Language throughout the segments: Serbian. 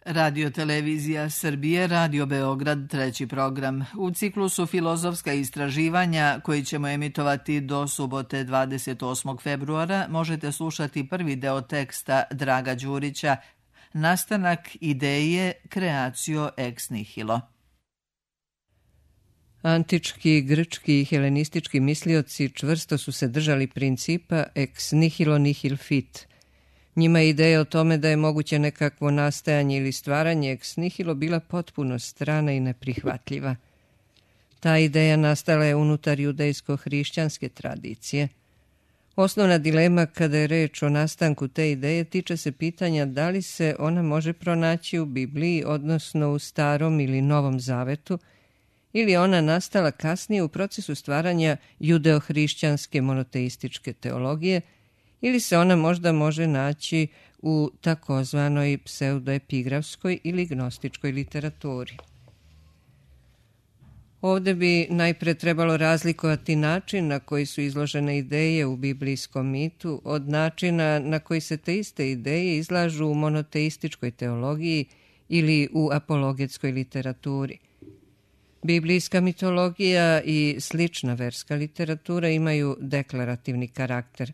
Radio Televizija Srbije, Radio Beograd, treći program. U ciklusu Filozofska istraživanja, koji ćemo emitovati do subote 28. februara, možete slušati prvi deo teksta Draga Đurića, Nastanak ideje Creatio ex nihilo. Antički, grčki i helenistički mislioci čvrsto su se držali principa ex nihilo nihil fit. Njima je ideja o tome da je moguće nekakvo nastajanje ili stvaranje ex nihilo bila potpuno strana i neprihvatljiva. Ta ideja nastala je unutar judejsko-hrišćanske tradicije. Osnovna dilema kada je reč o nastanku te ideje tiče se pitanja da li se ona može pronaći u Bibliji, odnosno u Starom ili Novom Zavetu, ili ona nastala kasnije u procesu stvaranja judeo-hrišćanske monoteističke teologije, ili se ona možda može naći u takozvanoj pseudoepigrafskoj ili gnostičkoj literaturi. Ovdje bi najpre trebalo razlikovati način na koji su izložene ideje u biblijskom mitu od načina na koji se te iste ideje izlažu u monoteističkoj teologiji ili u apologetskoj literaturi. Biblijska mitologija i slična verska literatura imaju deklarativni karakter.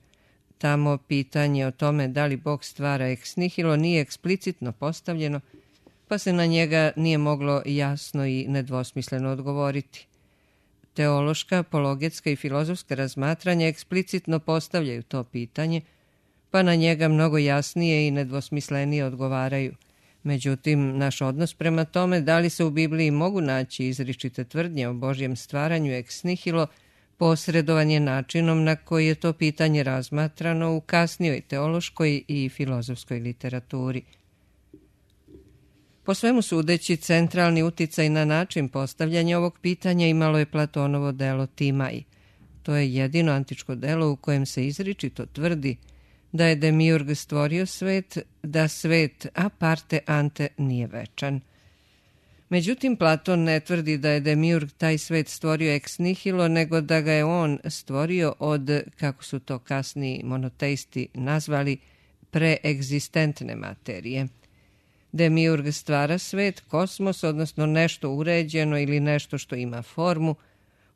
Tamo pitanje o tome da li Bog stvara ex nihilo nije eksplicitno postavljeno, pa se na njega nije moglo jasno i nedvosmisleno odgovoriti. Teološka, apologetska i filozofska razmatranja eksplicitno postavljaju to pitanje, pa na njega mnogo jasnije i nedvosmislenije odgovaraju. Međutim, naš odnos prema tome da li se u Bibliji mogu naći izričite tvrdnje o Božjem stvaranju ex nihilo posredovan je načinom na koji je to pitanje razmatrano u kasnijoj teološkoj i filozofskoj literaturi. Po svemu sudeći, centralni uticaj na način postavljanja ovog pitanja imalo je Platonovo delo Timaj. To je jedino antičko delo u kojem se izričito tvrdi da je Demiurg stvorio svet, da svet a parte ante nije večan. Međutim, Platon ne tvrdi da je Demiurg taj svet stvorio ex nihilo, nego da ga je on stvorio od, kako su to kasniji monoteisti nazvali, preegzistentne materije. Demiurg stvara svet, kosmos, odnosno nešto uređeno ili nešto što ima formu,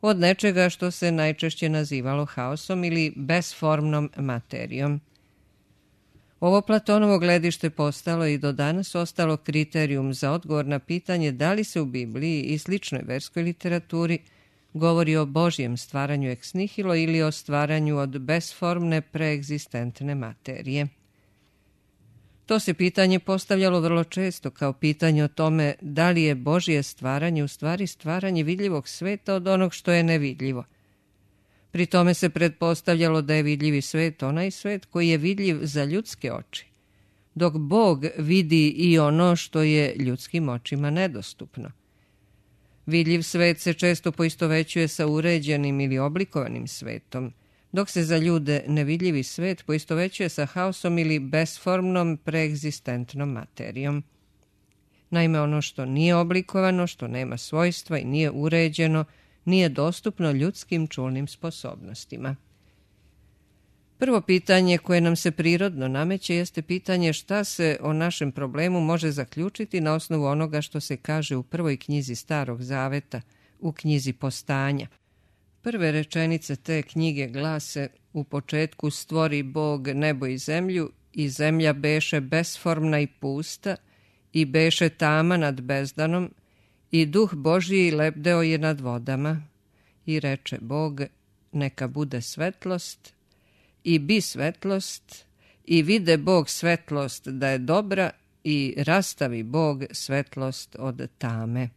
od nečega što se najčešće nazivalo haosom ili besformnom materijom. Ovo Platonovo gledište postalo i do danas ostalo kriterijum za odgovor na pitanje da li se u Bibliji i sličnoj verskoj literaturi govori o Božjem stvaranju ex nihilo ili o stvaranju od besformne preegzistentne materije. To se pitanje postavljalo vrlo često kao pitanje o tome da li je Božje stvaranje u stvari stvaranje vidljivog sveta od onog što je nevidljivo. Pri tome se pretpostavljalo da je vidljivi svet onaj svet koji je vidljiv za ljudske oči, dok Bog vidi i ono što je ljudskim očima nedostupno. Vidljiv svet se često poistovećuje sa uređenim ili oblikovanim svetom, dok se za ljude nevidljivi svet poistovećuje sa haosom ili besformnom preegzistentnom materijom. Naime, ono što nije oblikovano, što nema svojstva i nije uređeno, nije dostupno ljudskim čulnim sposobnostima. Prvo pitanje koje nam se prirodno nameće jeste pitanje šta se o našem problemu može zaključiti na osnovu onoga što se kaže u prvoj knjizi Starog Zaveta, u knjizi Postanja. Prve rečenice te knjige glase: u početku stvori Bog nebo i zemlja beše besformna i pusta, i beše tama nad bezdanom, i duh Božji lebdeo je nad vodama. I reče Bog, neka bude svetlost, i bi svetlost, i vide Bog svetlost da je dobra, i rastavi Bog svetlost od tame.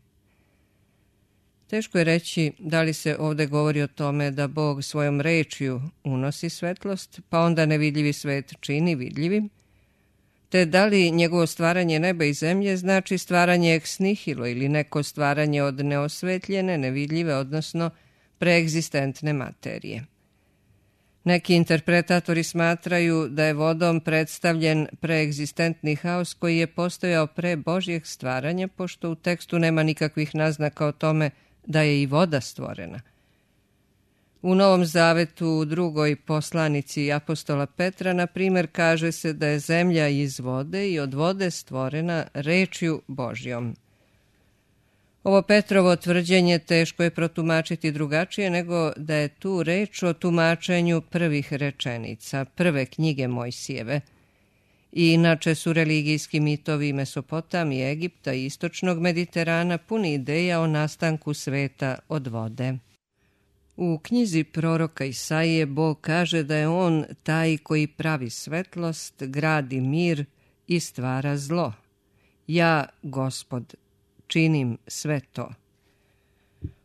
Teško je reći da li se ovdje govori o tome da Bog svojom rečju unosi svetlost, pa onda nevidljivi svet čini vidljivim, te da li njegovo stvaranje neba i zemlje znači stvaranje ex nihilo ili neko stvaranje od neosvetljene, nevidljive, odnosno preegzistentne materije. Neki interpretatori smatraju da je vodom predstavljen preegzistentni haos koji je postojao pre Božjeg stvaranja, pošto u tekstu nema nikakvih naznaka o tome da je i voda stvorena. U Novom zavetu u drugoj poslanici apostola Petra, na primjer, kaže se da je zemlja iz vode i od vode stvorena rečju Božjom. Ovo Petrovo tvrđenje teško je protumačiti drugačije nego da je tu reč o tumačenju prvih rečenica, prve knjige Mojsijeve. I inače su religijski mitovi Mesopotamije, Egipta i istočnog Mediterana puni ideja o nastanku sveta od vode. U knjizi proroka Isaije Bog kaže da je on taj koji pravi svetlost, gradi mir i stvara zlo. Ja, Gospod, činim sve to.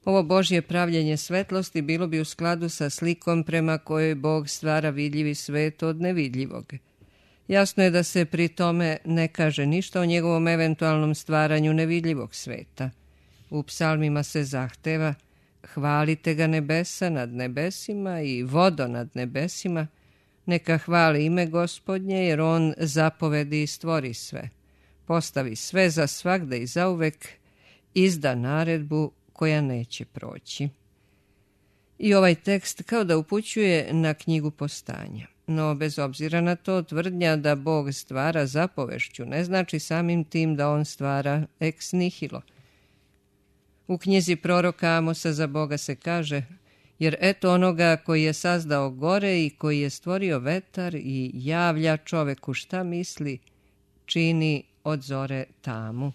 Ovo Božje pravljenje svetlosti bilo bi u skladu sa slikom prema kojoj Bog stvara vidljivi svet od nevidljivog. Jasno je da se pri tome ne kaže ništa o njegovom eventualnom stvaranju nevidljivog sveta. U psalmima se zahteva: hvalite ga nebesa nad nebesima i vodo nad nebesima, neka hvali ime Gospodnje, jer on zapovedi i stvori sve. Postavi sve za svagda i zauvek, izda naredbu koja neće proći. I ovaj tekst kao da upućuje na knjigu Postanja. No, bez obzira na to, tvrdnja da Bog stvara zapovešću ne znači samim tim da on stvara ex nihilo. U knjizi proroka Amosa za Boga se kaže: jer eto onoga koji je sazdao gore i koji je stvorio vetar i javlja čoveku šta misli, čini od zore tamu.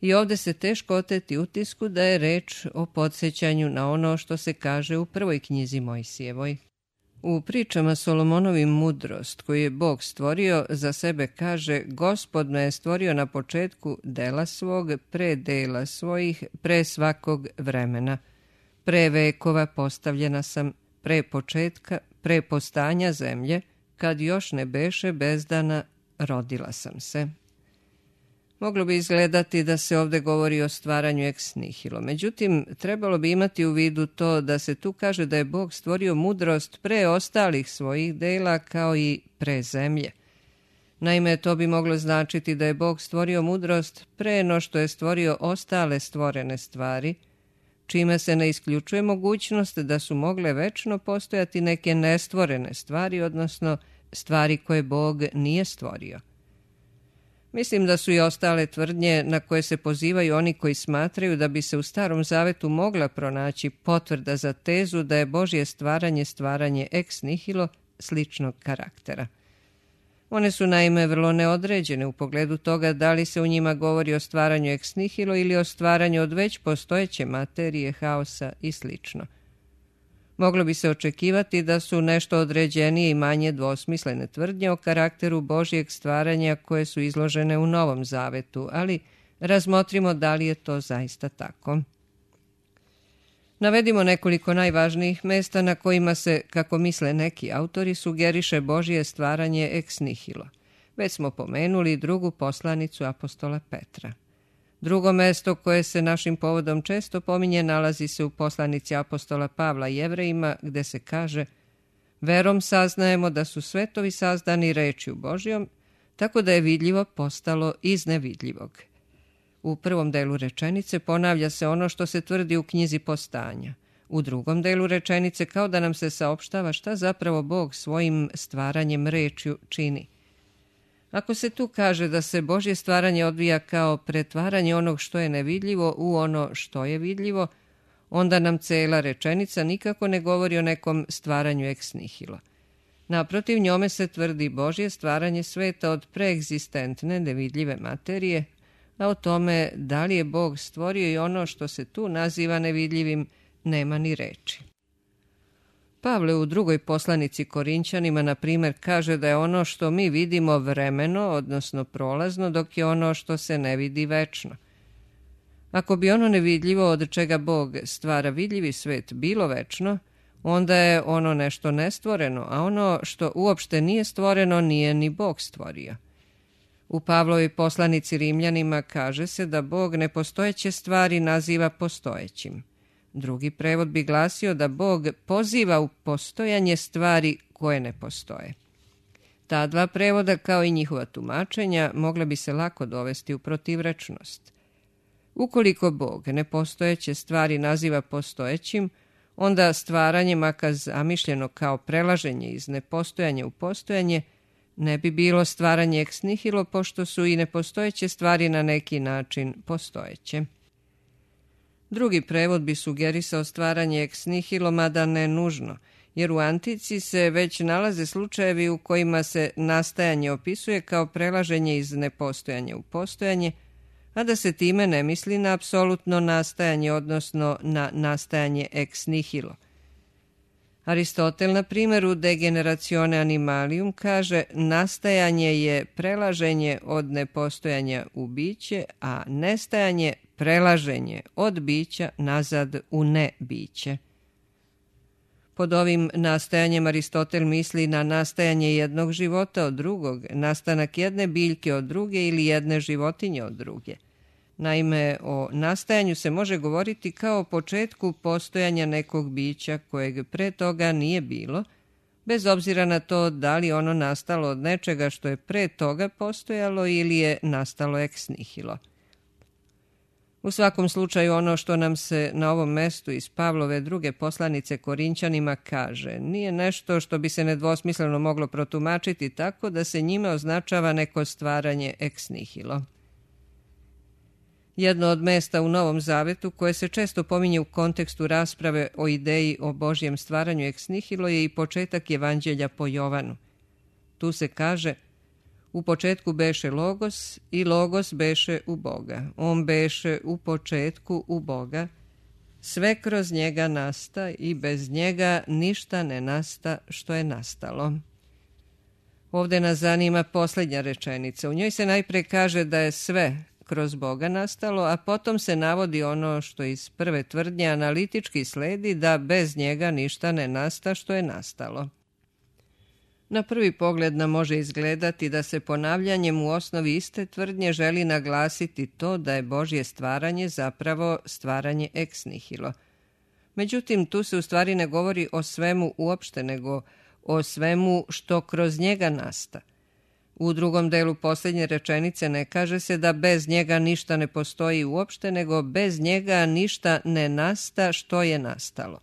I ovdje se teško oteti utisku da je reč o podsjećanju na ono što se kaže u prvoj knjizi Mojsijevoj. U pričama Solomonovim mudrost koju je Bog stvorio za sebe kaže: Gospod me je stvorio na početku dela svog, pre dela svojih, pre svakog vremena. Pre vekova postavljena sam, pre početka, pre postanja zemlje, kad još ne beše bezdana, rodila sam se. Moglo bi izgledati da se ovdje govori o stvaranju ex nihilo. Međutim, trebalo bi imati u vidu to da se tu kaže da je Bog stvorio mudrost pre ostalih svojih dela kao i pre zemlje. Naime, to bi moglo značiti da je Bog stvorio mudrost pre no što je stvorio ostale stvorene stvari, čime se ne isključuje mogućnost da su mogle večno postojati neke nestvorene stvari, odnosno stvari koje Bog nije stvorio. Mislim da su i ostale tvrdnje na koje se pozivaju oni koji smatraju da bi se u Starom Zavetu mogla pronaći potvrda za tezu da je Božje stvaranje ex nihilo sličnog karaktera. One su naime vrlo neodređene u pogledu toga da li se u njima govori o stvaranju ex nihilo ili o stvaranju od već postojeće materije, haosa i slično. Moglo bi se očekivati da su nešto određenije i manje dvosmislene tvrdnje o karakteru Božjeg stvaranja koje su izložene u Novom Zavetu, ali razmotrimo da li je to zaista tako. Navedimo nekoliko najvažnijih mesta na kojima se, kako misle neki autori, sugeriše Božje stvaranje ex nihilo. Već smo pomenuli drugu poslanicu apostola Petra. Drugo mesto koje se našim povodom često pominje nalazi se u poslanici apostola Pavla Jevrejima, gde se kaže: verom saznajemo da su svetovi sazdani rečju Božjom, tako da je vidljivo postalo iz nevidljivog. U prvom delu rečenice ponavlja se ono što se tvrdi u knjizi Postanja. U drugom delu rečenice kao da nam se saopštava šta zapravo Bog svojim stvaranjem rečju čini. Ako se tu kaže da se Božje stvaranje odvija kao pretvaranje onog što je nevidljivo u ono što je vidljivo, onda nam cela rečenica nikako ne govori o nekom stvaranju ex nihilo. Naprotiv, njome se tvrdi Božje stvaranje sveta od preegzistentne nevidljive materije, a o tome da li je Bog stvorio i ono što se tu naziva nevidljivim nema ni reči. Pavle u drugoj poslanici Korinćanima, na primjer, kaže da je ono što mi vidimo vremeno, odnosno prolazno, dok je ono što se ne vidi večno. Ako bi ono nevidljivo od čega Bog stvara vidljivi svet bilo večno, onda je ono nešto nestvoreno, a ono što uopšte nije stvoreno nije ni Bog stvorio. U Pavlovoj poslanici Rimljanima kaže se da Bog nepostojeće stvari naziva postojećim. Drugi prevod bi glasio da Bog poziva u postojanje stvari koje ne postoje. Ta dva prevoda, kao i njihova tumačenja, mogla bi se lako dovesti u protivrečnost. Ukoliko Bog nepostojeće stvari naziva postojećim, onda stvaranje, makar zamišljeno kao prelaženje iz nepostojanja u postojanje, ne bi bilo stvaranje ex nihilo, pošto su i nepostojeće stvari na neki način postojeće. Drugi prevod bi sugerisao stvaranje ex nihilo, mada ne nužno, jer u antici se već nalaze slučajevi u kojima se nastajanje opisuje kao prelaženje iz nepostojanja u postojanje, a da se time ne misli na apsolutno nastajanje, odnosno na nastajanje ex nihilo. Aristotel, na primjer, u De generatione animalium kaže: nastajanje je prelaženje od nepostojanja u biće, a nestajanje prelaženje od bića nazad u nebiće. Pod ovim nastajanjem Aristotel misli na nastajanje jednog života od drugog, nastanak jedne biljke od druge ili jedne životinje od druge. Naime, o nastajanju se može govoriti kao o početku postojanja nekog bića kojeg pre toga nije bilo, bez obzira na to da li ono nastalo od nečega što je pre toga postojalo ili je nastalo ex nihilo. U svakom slučaju, ono što nam se na ovom mestu iz Pavlove druge poslanice Korinćanima kaže nije nešto što bi se nedvosmisleno moglo protumačiti tako da se njime označava neko stvaranje ex nihilo. Jedno od mesta u Novom Zavetu koje se često pominje u kontekstu rasprave o ideji o Božjem stvaranju ex nihilo je i početak Evanđelja po Jovanu. Tu se kaže: u početku beše Logos i Logos beše u Boga. On beše u početku u Boga. Sve kroz njega nasta i bez njega ništa ne nasta što je nastalo. Ovdje nas zanima posljednja rečenica. U njoj se najpre kaže da je sve kroz Boga nastalo, a potom se navodi ono što iz prve tvrdnje analitički sledi, da bez njega ništa ne nasta što je nastalo. Na prvi pogled nam može izgledati da se ponavljanjem u osnovi iste tvrdnje želi naglasiti to da je Božje stvaranje zapravo stvaranje ex nihilo. Međutim, tu se u stvari ne govori o svemu uopšte, nego o svemu što kroz njega nasta. U drugom delu posljednje rečenice ne kaže se da bez njega ništa ne postoji uopšte, nego bez njega ništa ne nasta što je nastalo.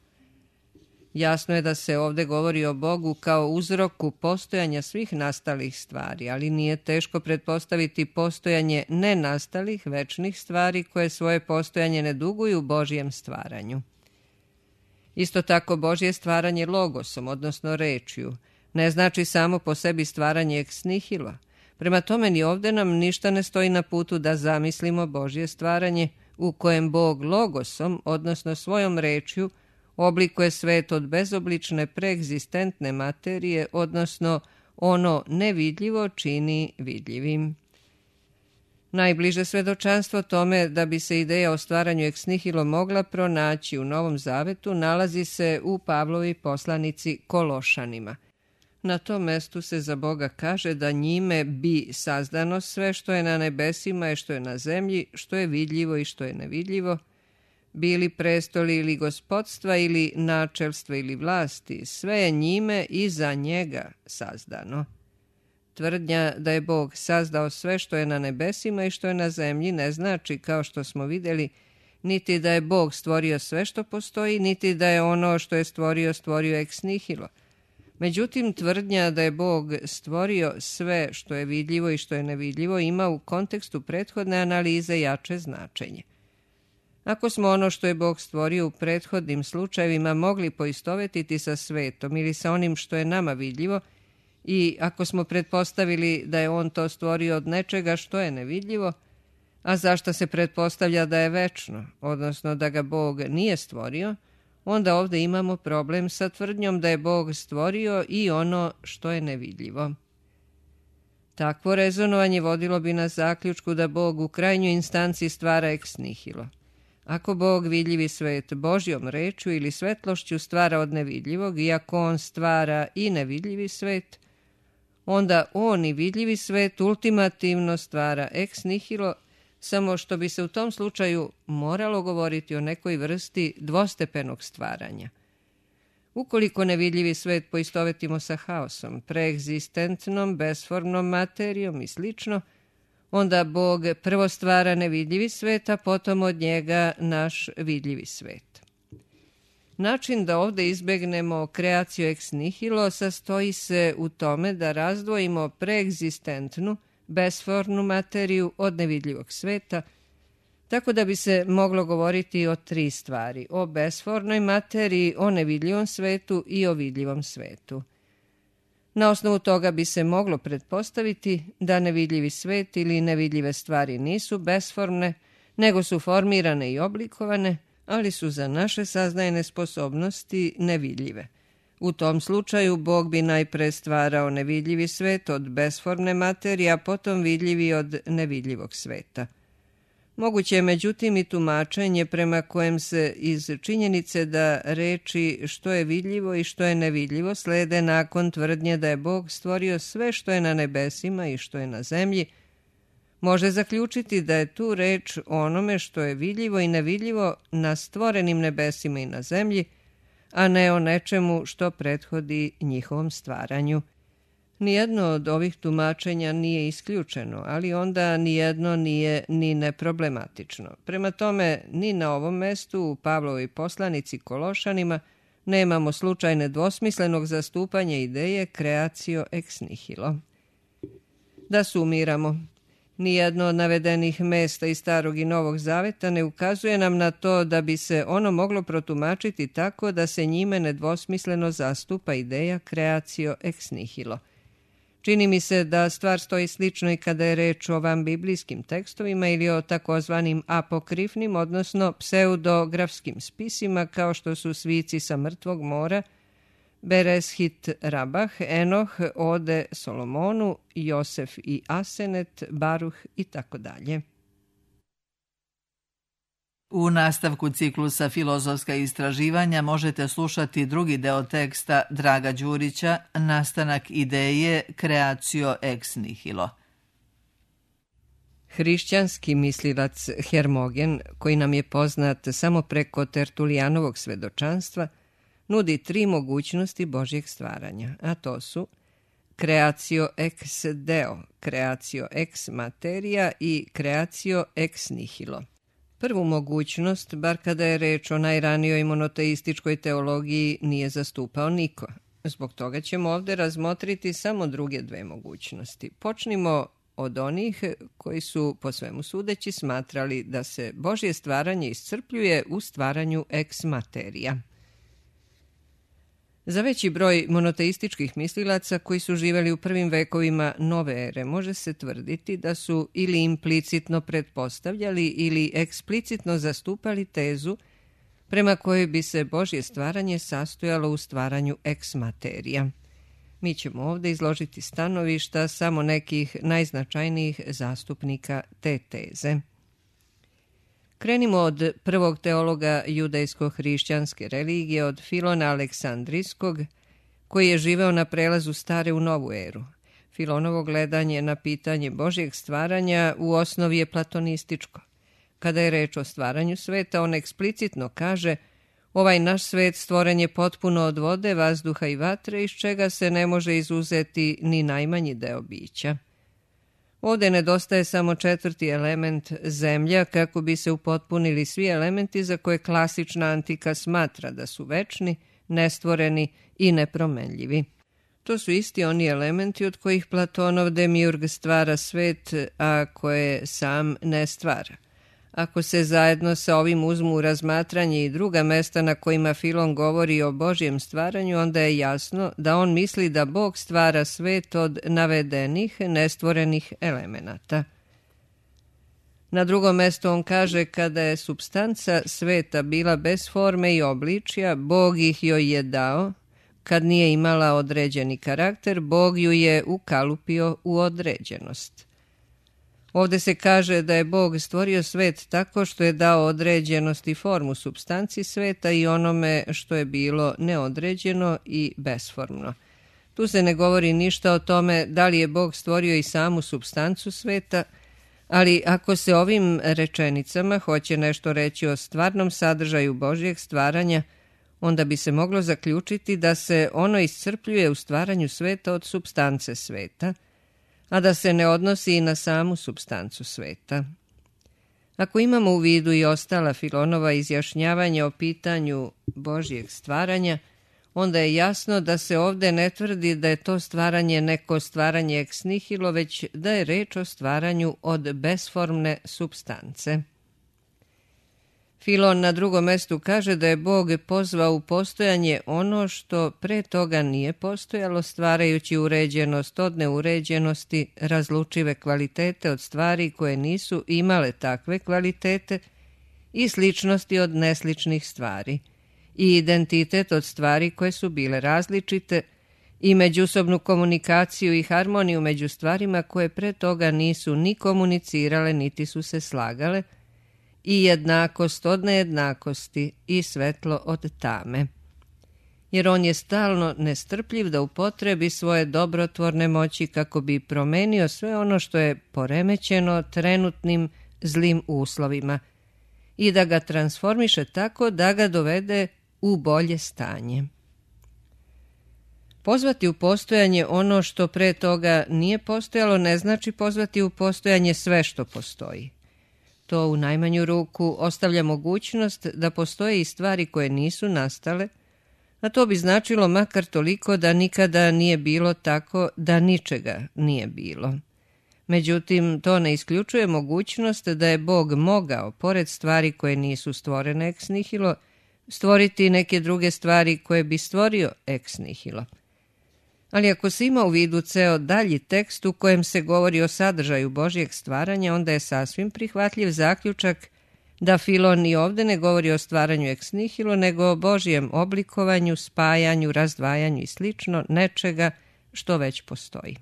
Jasno je da se ovdje govori o Bogu kao uzroku postojanja svih nastalih stvari, ali nije teško pretpostaviti postojanje nenastalih večnih stvari koje svoje postojanje ne duguju Božjem stvaranju. Isto tako Božje stvaranje logosom, odnosno rečju, ne znači samo po sebi stvaranje ex nihilo. Prema tome ni ovdje nam ništa ne stoji na putu da zamislimo Božje stvaranje u kojem Bog logosom, odnosno svojom rečju, oblikuje svet od bezoblične preegzistentne materije, odnosno ono nevidljivo čini vidljivim. Najbliže svedočanstvo tome da bi se ideja o stvaranju ex nihilo mogla pronaći u Novom Zavetu nalazi se u Pavlovi poslanici Kološanima. Na tom mestu se za Boga kaže da njime bi sazdano sve što je na nebesima i što je na zemlji, što je vidljivo i što je nevidljivo, bili prestoli ili gospodstva ili načelstva ili vlasti, sve je njime i za njega sazdano. Tvrdnja da je Bog sazdao sve što je na nebesima i što je na zemlji ne znači, kao što smo vidjeli, niti da je Bog stvorio sve što postoji, niti da je ono što je stvorio ex nihilo. Međutim, tvrdnja da je Bog stvorio sve što je vidljivo i što je nevidljivo ima u kontekstu prethodne analize jače značenje. Ako smo ono što je Bog stvorio u prethodnim slučajevima mogli poistovetiti sa svetom ili sa onim što je nama vidljivo, i ako smo pretpostavili da je on to stvorio od nečega što je nevidljivo, a zašto se pretpostavlja da je večno, odnosno da ga Bog nije stvorio, onda ovdje imamo problem sa tvrdnjom da je Bog stvorio i ono što je nevidljivo. Takvo rezonovanje vodilo bi nas zaključku da Bog u krajnjoj instanci stvara ex nihilo. Ako Bog vidljivi svet Božjom rečju ili svetlošću stvara od nevidljivog, i ako on stvara i nevidljivi svet, onda on i vidljivi svet ultimativno stvara ex nihilo, samo što bi se u tom slučaju moralo govoriti o nekoj vrsti dvostepenog stvaranja. Ukoliko nevidljivi svet poistovetimo sa haosom, preegzistentnom, besformnom materijom i slično, onda Bog prvo stvara nevidljivi svet, a potom od njega naš vidljivi svet. Način da ovde izbegnemo kreaciju ex nihilo sastoji se u tome da razdvojimo preegzistentnu, besformnu materiju od nevidljivog sveta, tako da bi se moglo govoriti o tri stvari: o besformnoj materiji, o nevidljivom svetu i o vidljivom svetu. Na osnovu toga bi se moglo pretpostaviti da nevidljivi svet ili nevidljive stvari nisu besformne, nego su formirane i oblikovane, ali su za naše saznajne sposobnosti nevidljive. U tom slučaju Bog bi najpre stvarao nevidljivi svet od besformne materije, a potom vidljivi od nevidljivog sveta. Moguće je međutim i tumačenje prema kojem se iz činjenice da reči što je vidljivo i što je nevidljivo slede nakon tvrdnje da je Bog stvorio sve što je na nebesima i što je na zemlji, može zaključiti da je tu reč o onome što je vidljivo i nevidljivo na stvorenim nebesima i na zemlji, a ne o nečemu što prethodi njihovom stvaranju. Nijedno od ovih tumačenja nije isključeno, ali onda nijedno nije ni neproblematično. Prema tome, ni na ovom mestu u Pavlovoj poslanici Kološanima nemamo slučajne dvosmislenog zastupanja ideje creatio ex nihilo. Da sumiramo, nijedno od navedenih mesta iz Starog i Novog Zaveta ne ukazuje nam na to da bi se ono moglo protumačiti tako da se njime nedvosmisleno zastupa ideja creatio ex nihilo. Čini mi se da stvar stoji slično i kada je reč o vanbiblijskim tekstovima ili o takozvanim apokrifnim, odnosno pseudografskim spisima kao što su Svici sa mrtvog mora, Bereshit Rabah, Enoh, Ode Solomonu, Josef i Asenet, Baruh i tako dalje. U nastavku ciklusa Filozofska istraživanja možete slušati drugi deo teksta Draga Đurića, Nastanak ideje creatio ex nihilo. Hrišćanski mislilac Hermogen, koji nam je poznat samo preko Tertulijanovog svedočanstva, nudi tri mogućnosti Božjeg stvaranja, a to su creatio ex deo, creatio ex materia i creatio ex nihilo. Prvu mogućnost, bar kada je reč o najranijoj monoteističkoj teologiji, nije zastupao niko. Zbog toga ćemo ovde razmotriti samo druge dve mogućnosti. Počnimo od onih koji su, po svemu sudeći, smatrali da se Božje stvaranje iscrpljuje u stvaranju ex materia. Za veći broj monoteističkih mislilaca koji su živeli u prvim vekovima nove ere može se tvrditi da su ili implicitno pretpostavljali ili eksplicitno zastupali tezu prema kojoj bi se Božje stvaranje sastojalo u stvaranju ex materia. Mi ćemo ovdje izložiti stanovišta samo nekih najznačajnijih zastupnika te teze. Krenimo od prvog teologa judejsko-hrišćanske religije, od Filona Aleksandrijskog, koji je živeo na prelazu stare u novu eru. Filonovo gledanje na pitanje Božjeg stvaranja u osnovi je platonističko. Kada je reč o stvaranju sveta, on eksplicitno kaže: ovaj naš svet stvoren je potpuno od vode, vazduha i vatre, iz čega se ne može izuzeti ni najmanji deo bića. Ovdje nedostaje samo četvrti element, zemlja, kako bi se upotpunili svi elementi za koje klasična antika smatra da su večni, nestvoreni i nepromenljivi. To su isti oni elementi od kojih Platonov demiurg stvara svet, a koje sam ne stvara. Ako se zajedno sa ovim uzmu u razmatranje i druga mesta na kojima Filon govori o Božjem stvaranju, onda je jasno da on misli da Bog stvara svet od navedenih nestvorenih elemenata. Na drugom mjestu on kaže: kada je supstanca sveta bila bez forme i obličja, Bog ih joj je dao. Kad nije imala određeni karakter, Bog ju je ukalupio u određenost. Ovdje se kaže da je Bog stvorio svet tako što je dao određenost i formu supstanci sveta i onome što je bilo neodređeno i besformno. Tu se ne govori ništa o tome da li je Bog stvorio i samu supstancu sveta, ali ako se ovim rečenicama hoće nešto reći o stvarnom sadržaju Božjeg stvaranja, onda bi se moglo zaključiti da se ono iscrpljuje u stvaranju sveta od supstance sveta, a da se ne odnosi i na samu supstancu sveta. Ako imamo u vidu i ostala Filonova izjašnjavanja o pitanju Božjeg stvaranja, onda je jasno da se ovdje ne tvrdi da je to stvaranje neko stvaranje ex nihilo, već da je reč o stvaranju od besformne supstance. Filon na drugom mestu kaže da je Bog pozvao u postojanje ono što pre toga nije postojalo, stvarajući uređenost od neuređenosti, razlučive kvalitete od stvari koje nisu imale takve kvalitete i sličnosti od nesličnih stvari, i identitet od stvari koje su bile različite, i međusobnu komunikaciju i harmoniju među stvarima koje pre toga nisu ni komunicirale niti su se slagale, i jednakost od nejednakosti i svetlo od tame. Jer on je stalno nestrpljiv da upotrebi svoje dobrotvorne moći kako bi promenio sve ono što je poremećeno trenutnim zlim uslovima i da ga transformiše tako da ga dovede u bolje stanje. Pozvati u postojanje ono što pre toga nije postojalo ne znači pozvati u postojanje sve što postoji. To u najmanju ruku ostavlja mogućnost da postoje i stvari koje nisu nastale, a to bi značilo makar toliko da nikada nije bilo tako da ničega nije bilo. Međutim, to ne isključuje mogućnost da je Bog mogao, pored stvari koje nisu stvorene ex nihilo, stvoriti neke druge stvari koje bi stvorio ex nihilo. Ali ako se ima u vidu ceo dalji tekst u kojem se govori o sadržaju Božjeg stvaranja, onda je sasvim prihvatljiv zaključak da Filon i ovdje ne govori o stvaranju ex nihilo, nego o Božjem oblikovanju, spajanju, razdvajanju i slično nečega što već postoji.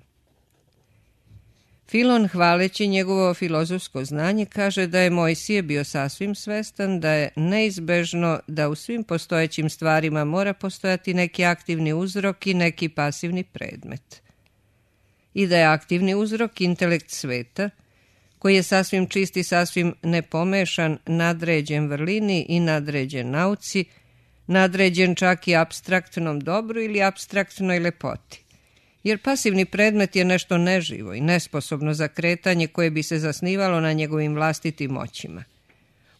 Filon, hvaleći njegovo filozofsko znanje, kaže da je Mojsije bio sasvim svestan da je neizbežno da u svim postojećim stvarima mora postojati neki aktivni uzrok i neki pasivni predmet. I da je aktivni uzrok intelekt sveta, koji je sasvim čist i sasvim nepomešan, nadređen vrlini i nadređen nauci, nadređen čak i apstraktnom dobru ili apstraktnoj lepoti. Jer pasivni predmet je nešto neživo i nesposobno za kretanje koje bi se zasnivalo na njegovim vlastitim moćima.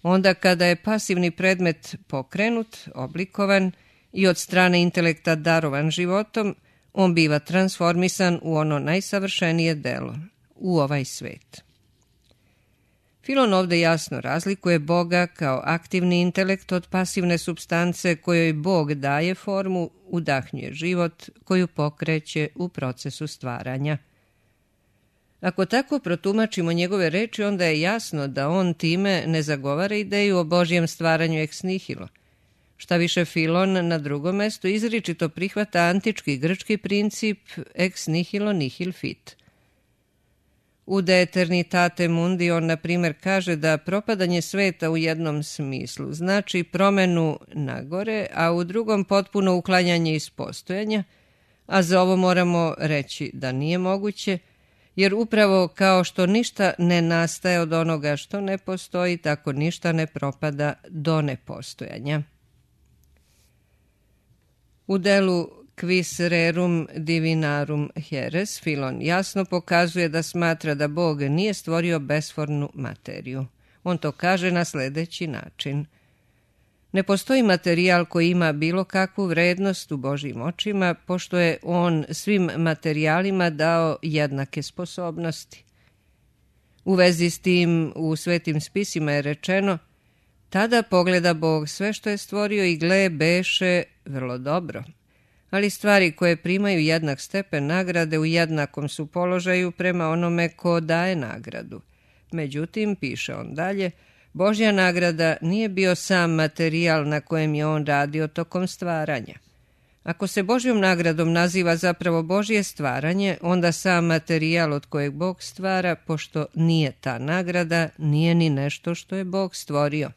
Onda kada je pasivni predmet pokrenut, oblikovan i od strane intelekta darovan životom, on biva transformisan u ono najsavršenije delo, u ovaj svet. Filon ovdje jasno razlikuje Boga kao aktivni intelekt od pasivne supstance kojoj Bog daje formu, udahnjuje život, koju pokreće u procesu stvaranja. Ako tako protumačimo njegove reči, onda je jasno da on time ne zagovara ideju o Božjem stvaranju ex nihilo. Šta više, Filon na drugom mestu izričito prihvata antički grčki princip ex nihilo nihil fit. U De Eternitate Mundi on, na primjer, kaže da propadanje sveta u jednom smislu znači promenu nagore, a u drugom potpuno uklanjanje iz postojanja, a za ovo moramo reći da nije moguće, jer upravo kao što ništa ne nastaje od onoga što ne postoji, tako ništa ne propada do nepostojanja. U delu Quis rerum divinarum heres, Filon jasno pokazuje da smatra da Bog nije stvorio besformnu materiju. On to kaže na sljedeći način. Ne postoji materijal koji ima bilo kakvu vrednost u Božjim očima, pošto je on svim materijalima dao jednake sposobnosti. U vezi s tim u svetim spisima je rečeno: tada pogleda Bog sve što je stvorio i gle, beše vrlo dobro. Ali stvari koje primaju jednak stepen nagrade u jednakom su položaju prema onome ko daje nagradu. Međutim, piše on dalje, Božja nagrada nije bio sam materijal na kojem je on radio tokom stvaranja. Ako se Božjom nagradom naziva zapravo Božje stvaranje, onda sam materijal od kojeg Bog stvara, pošto nije ta nagrada, nije ni nešto što je Bog stvorio.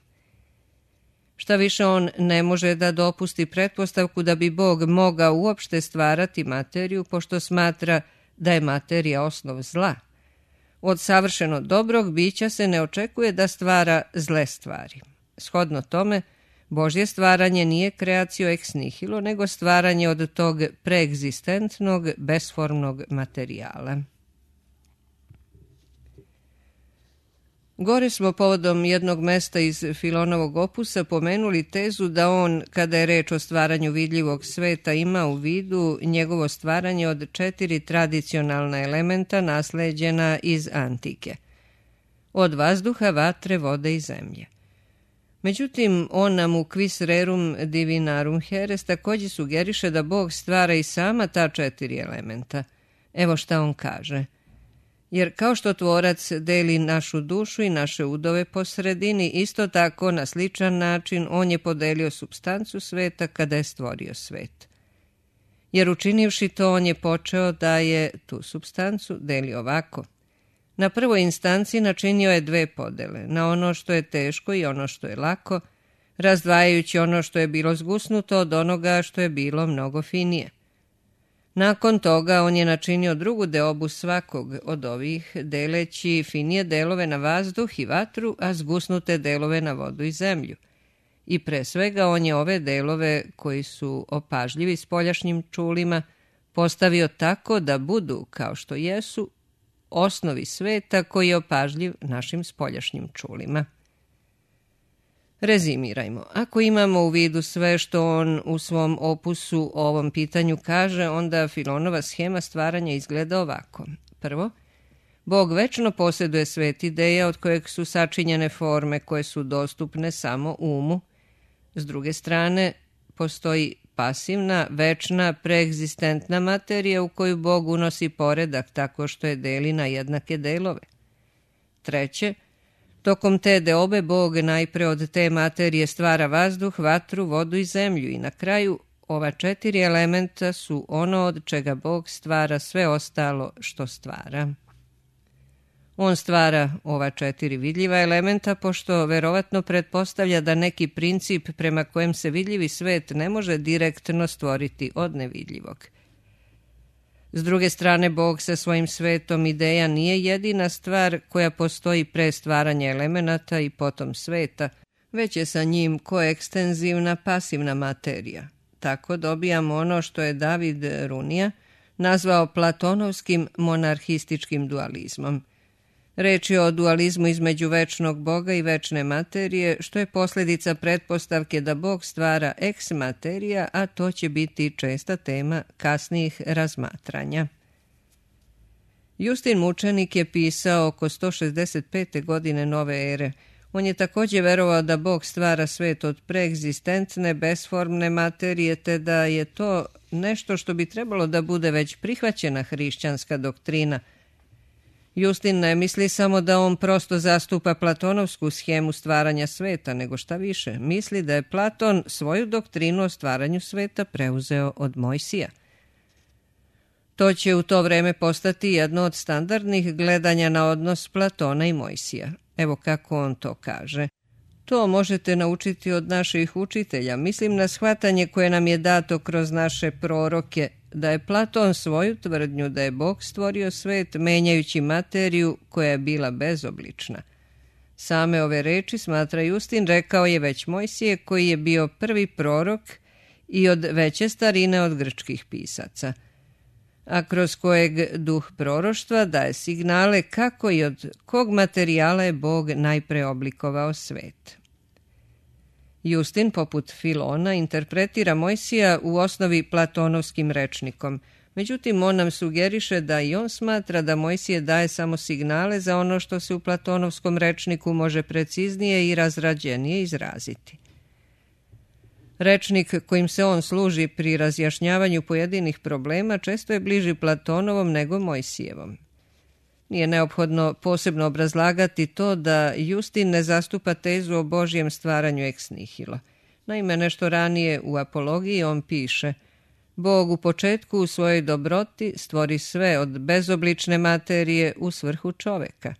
Šta više, on ne može da dopusti pretpostavku da bi Bog mogao uopšte stvarati materiju, pošto smatra da je materija osnov zla. Od savršeno dobrog bića se ne očekuje da stvara zle stvari. Shodno tome, Božje stvaranje nije kreacio ex nihilo, nego stvaranje od tog preegzistentnog, besformnog materijala. Gore smo povodom jednog mesta iz Filonovog opusa pomenuli tezu da on, kada je reč o stvaranju vidljivog sveta, ima u vidu njegovo stvaranje od 4 tradicionalna elementa nasleđena iz antike. Od vazduha, vatre, vode i zemlje. Međutim, on nam u Quis rerum divinarum heres također sugeriše da Bog stvara i sama ta 4 elementa. Evo šta on kaže. Jer kao što tvorac deli našu dušu i naše udove po sredini, isto tako na sličan način on je podelio supstancu sveta kada je stvorio svet. Jer učinivši to, on je počeo da je tu supstancu deli ovako. Na prvoj instanci načinio je 2 podele, na ono što je teško i ono što je lako, razdvajajući ono što je bilo zgusnuto od onoga što je bilo mnogo finije. Nakon toga on je načinio drugu deobu svakog od ovih, deleći finije delove na vazduh i vatru, a zgusnute delove na vodu i zemlju. I pre svega on je ove delove, koji su opažljivi spoljašnjim čulima, postavio tako da budu, kao što jesu, osnovi sveta koji je opažljiv našim spoljašnjim čulima. Rezimirajmo. Ako imamo u vidu sve što on u svom opusu o ovom pitanju kaže, onda Filonova schema stvaranja izgleda ovako. Prvo, Bog večno posjeduje svet ideja od kojeg su sačinjene forme koje su dostupne samo umu. S druge strane, postoji pasivna, večna, preegzistentna materija u koju Bog unosi poredak tako što je deli na jednake delove. Treće, tokom te deobe Bog najpre od te materije stvara vazduh, vatru, vodu i zemlju i na kraju ova 4 elementa su ono od čega Bog stvara sve ostalo što stvara. On stvara ova 4 vidljiva elementa pošto verovatno pretpostavlja da neki princip prema kojem se vidljivi svet ne može direktno stvoriti od nevidljivog. S druge strane, Bog sa svojim svetom ideja nije jedina stvar koja postoji pre stvaranja elemenata i potom sveta, već je sa njim koekstenzivna pasivna materija. Tako dobijamo ono što je David Runija nazvao platonovskim monarhističkim dualizmom. Reč je o dualizmu između večnog Boga i večne materije, što je posljedica pretpostavke da Bog stvara ex materija, a to će biti česta tema kasnijih razmatranja. Justin mučenik je pisao oko 165. godine nove ere. On je također verovao da Bog stvara svet od preegzistentne, besformne materije, te da je to nešto što bi trebalo da bude već prihvaćena hrišćanska doktrina. Justin ne misli samo da on prosto zastupa platonovsku schemu stvaranja sveta, nego šta više, misli da je Platon svoju doktrinu o stvaranju sveta preuzeo od Mojsija. To će u to vreme postati jedno od standardnih gledanja na odnos Platona i Mojsija. Evo kako on to kaže. To možete naučiti od naših učitelja. Mislim na shvatanje koje nam je dato kroz naše proroke, da je Platon svoju tvrdnju da je Bog stvorio svet menjajući materiju koja je bila bezoblična. Same ove reči, smatra Justin, rekao je već Mojsije koji je bio prvi prorok i od veće starine od grčkih pisaca, a kroz kojeg duh proroštva daje signale kako i od kog materijala je Bog najpre oblikovao svet. Justin, poput Filona, interpretira Mojsija u osnovi platonovskim rečnikom. Međutim, on nam sugeriše da i on smatra da Mojsije daje samo signale za ono što se u platonovskom rečniku može preciznije i razrađenije izraziti. Rečnik kojim se on služi pri razjašnjavanju pojedinih problema često je bliži Platonovom nego Mojsijevom. Nije neophodno posebno obrazlagati to da Justin ne zastupa tezu o Božjem stvaranju ex nihilo. Naime, nešto ranije u Apologiji on piše: Bog u početku u svojoj dobroti stvori sve od bezoblične materije u svrhu čoveka.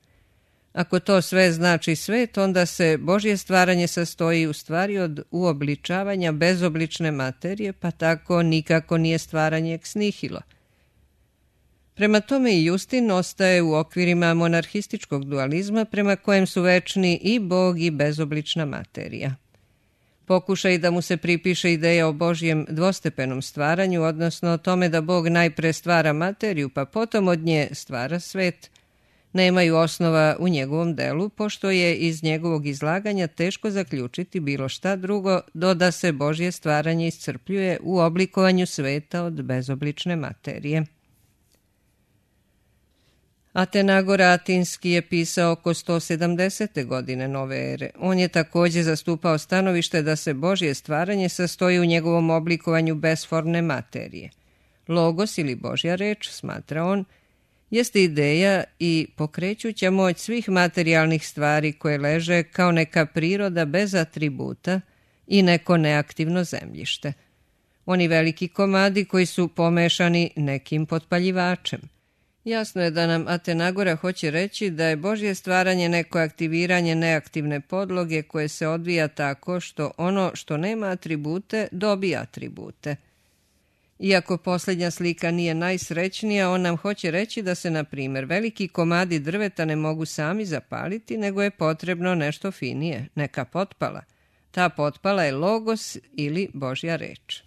Ako to sve znači svet, onda se Božje stvaranje sastoji u stvari od uobličavanja bezoblične materije, pa tako nikako nije stvaranje ex nihilo. Prema tome i Justin ostaje u okvirima monarhističkog dualizma prema kojem su večni i Bog i bezoblična materija. Pokušaj da mu se pripiše ideja o Božjem dvostepenom stvaranju, odnosno o tome da Bog najpre stvara materiju pa potom od nje stvara svet, nemaju osnova u njegovom delu, pošto je iz njegovog izlaganja teško zaključiti bilo šta drugo do da se Božje stvaranje iscrpljuje u oblikovanju sveta od bezoblične materije. Atenagor Atinski je pisao oko 170. godine nove ere. On je također zastupao stanovište da se Božje stvaranje sastoji u njegovom oblikovanju besformne materije. Logos ili Božja reč, smatra on, jeste ideja i pokrećuća moć svih materijalnih stvari koje leže kao neka priroda bez atributa i neko neaktivno zemljište. Oni veliki komadi koji su pomešani nekim potpaljivačem. Jasno je da nam Atenagora hoće reći da je Božje stvaranje neko aktiviranje neaktivne podloge koje se odvija tako što ono što nema atribute dobija atribute. Iako posljednja slika nije najsrećnija, on nam hoće reći da se, na primjer, veliki komadi drveta ne mogu sami zapaliti, nego je potrebno nešto finije, neka potpala. Ta potpala je logos ili Božja reč.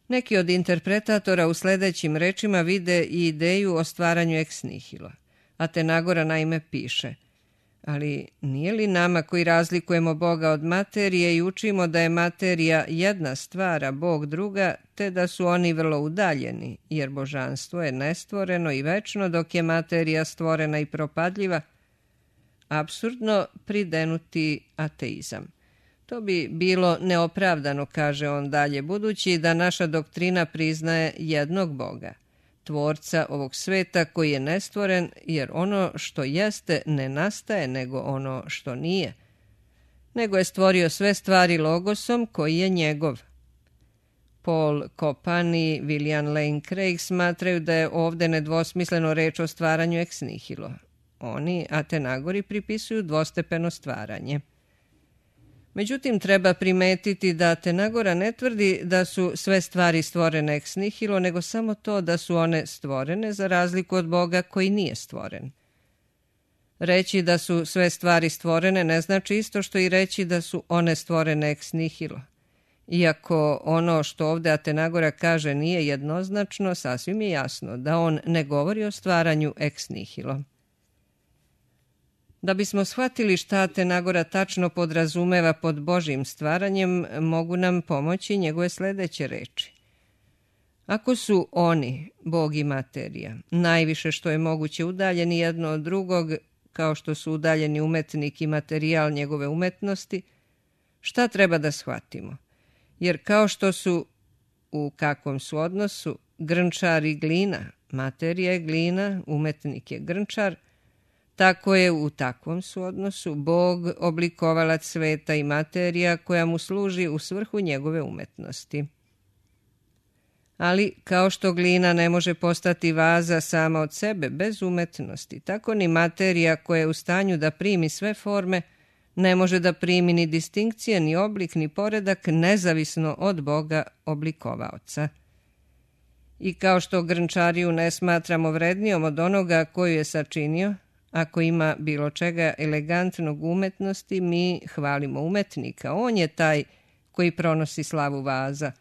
Neki od interpretatora u sljedećim rečima vide i ideju o stvaranju ex nihilo. Atenagora naime piše: ali nije li nama koji razlikujemo Boga od materije i učimo da je materija jedna stvar, a Bog druga, te da su oni vrlo udaljeni, jer božanstvo je nestvoreno i večno, dok je materija stvorena i propadljiva, apsurdno pridenuti ateizam. To bi bilo neopravdano, kaže on dalje, budući da naša doktrina priznaje jednog Boga, tvorca ovog sveta koji je nestvoren, jer ono što jeste ne nastaje nego ono što nije, nego je stvorio sve stvari logosom koji je njegov. Paul Kopani, William Lane Craig smatraju da je ovdje nedvosmisleno reč o stvaranju ex nihilo. Oni, Atenagori, pripisuju dvostepeno stvaranje. Međutim, treba primetiti da Atenagora ne tvrdi da su sve stvari stvorene ex nihilo, nego samo to da su one stvorene za razliku od Boga koji nije stvoren. Reći da su sve stvari stvorene ne znači isto što i reći da su one stvorene ex nihilo. Iako ono što ovdje Atenagora kaže nije jednoznačno, sasvim je jasno da on ne govori o stvaranju ex nihilo. Da bismo shvatili šta Atenagora tačno podrazumeva pod Božjim stvaranjem, mogu nam pomoći njegove sljedeće reči. Ako su oni, Bog i materija, najviše što je moguće udaljeni jedno od drugog, kao što su udaljeni umetnik i materijal njegove umetnosti, šta treba da shvatimo? Jer kao što su, u kakvom su odnosu, grnčar i glina, materija je glina, umetnik je grnčar, tako je u takvom su odnosu Bog, oblikovalac sveta i materija koja mu služi u svrhu njegove umetnosti. Ali kao što glina ne može postati vaza sama od sebe bez umetnosti, tako ni materija koja je u stanju da primi sve forme ne može da primi ni distinkcije, ni oblik, ni poredak nezavisno od Boga oblikovaoca. I kao što grnčariju ne smatramo vrednijom od onoga koju je sačinio, ako ima bilo čega elegantnog umetnosti, mi hvalimo umetnika. On je taj koji pronosi slavu vaza.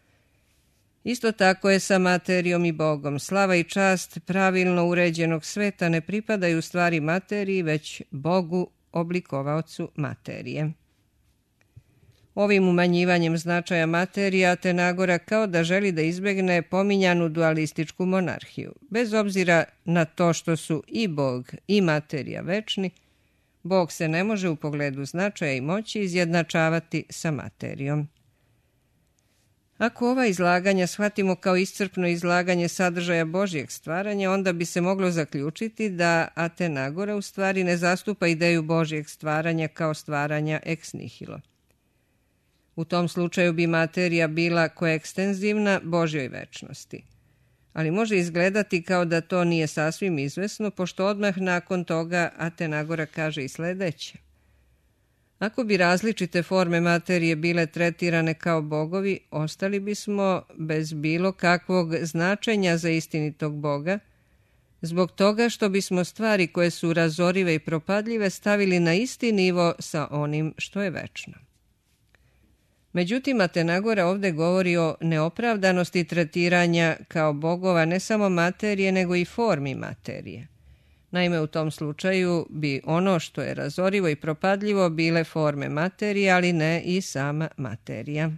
Isto tako je sa materijom i Bogom. Slava i čast pravilno uređenog sveta ne pripadaju stvari materiji, već Bogu, oblikovaocu materije. Ovim umanjivanjem značaja materije Atenagora kao da želi da izbegne pominjanu dualističku monarhiju. Bez obzira na to što su i Bog i materija večni, Bog se ne može u pogledu značaja i moći izjednačavati sa materijom. Ako ova izlaganja shvatimo kao iscrpno izlaganje sadržaja Božjeg stvaranja, onda bi se moglo zaključiti da Atenagora u stvari ne zastupa ideju Božjeg stvaranja kao stvaranja ex nihilo. U tom slučaju bi materija bila koekstenzivna Božjoj večnosti. Ali može izgledati kao da to nije sasvim izvesno, pošto odmah nakon toga Atenagora kaže i sljedeće. Ako bi različite forme materije bile tretirane kao bogovi, ostali bismo bez bilo kakvog značenja za istinitog Boga, zbog toga što bismo stvari koje su razorive i propadljive stavili na isti nivo sa onim što je večno. Međutim, Atenagora ovdje govori o neopravdanosti tretiranja kao bogova ne samo materije, nego i formi materije. Naime, u tom slučaju bi ono što je razorivo i propadljivo bile forme materije, ali ne i sama materija.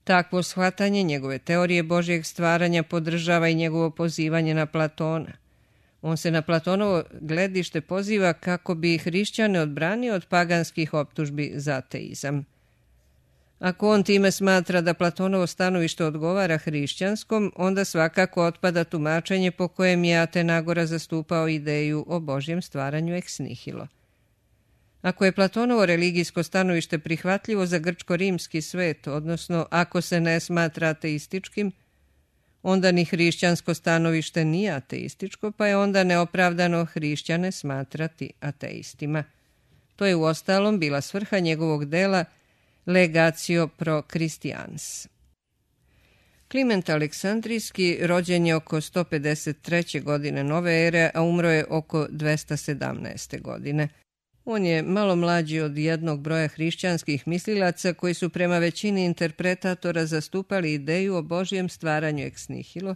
Takvo shvatanje njegove teorije Božjeg stvaranja podržava i njegovo pozivanje na Platona. On se na Platonovo gledište poziva kako bi hrišćane odbranio od paganskih optužbi za ateizam. Ako on time smatra da Platonovo stanovište odgovara hrišćanskom, onda svakako otpada tumačenje po kojem je Atenagora zastupao ideju o Božjem stvaranju ex nihilo. Ako je Platonovo religijsko stanovište prihvatljivo za grčko-rimski svet, odnosno ako se ne smatra ateističkim, onda ni hrišćansko stanovište nije ateističko, pa je onda neopravdano hrišćane smatrati ateistima. To je uostalom bila svrha njegovog dela Legatio pro Christians. Kliment Aleksandrijski rođen je oko 153. godine nove ere, a umro je oko 217. godine. On je malo mlađi od jednog broja hrišćanskih mislilaca koji su prema većini interpretatora zastupali ideju o Božjem stvaranju ex nihilo,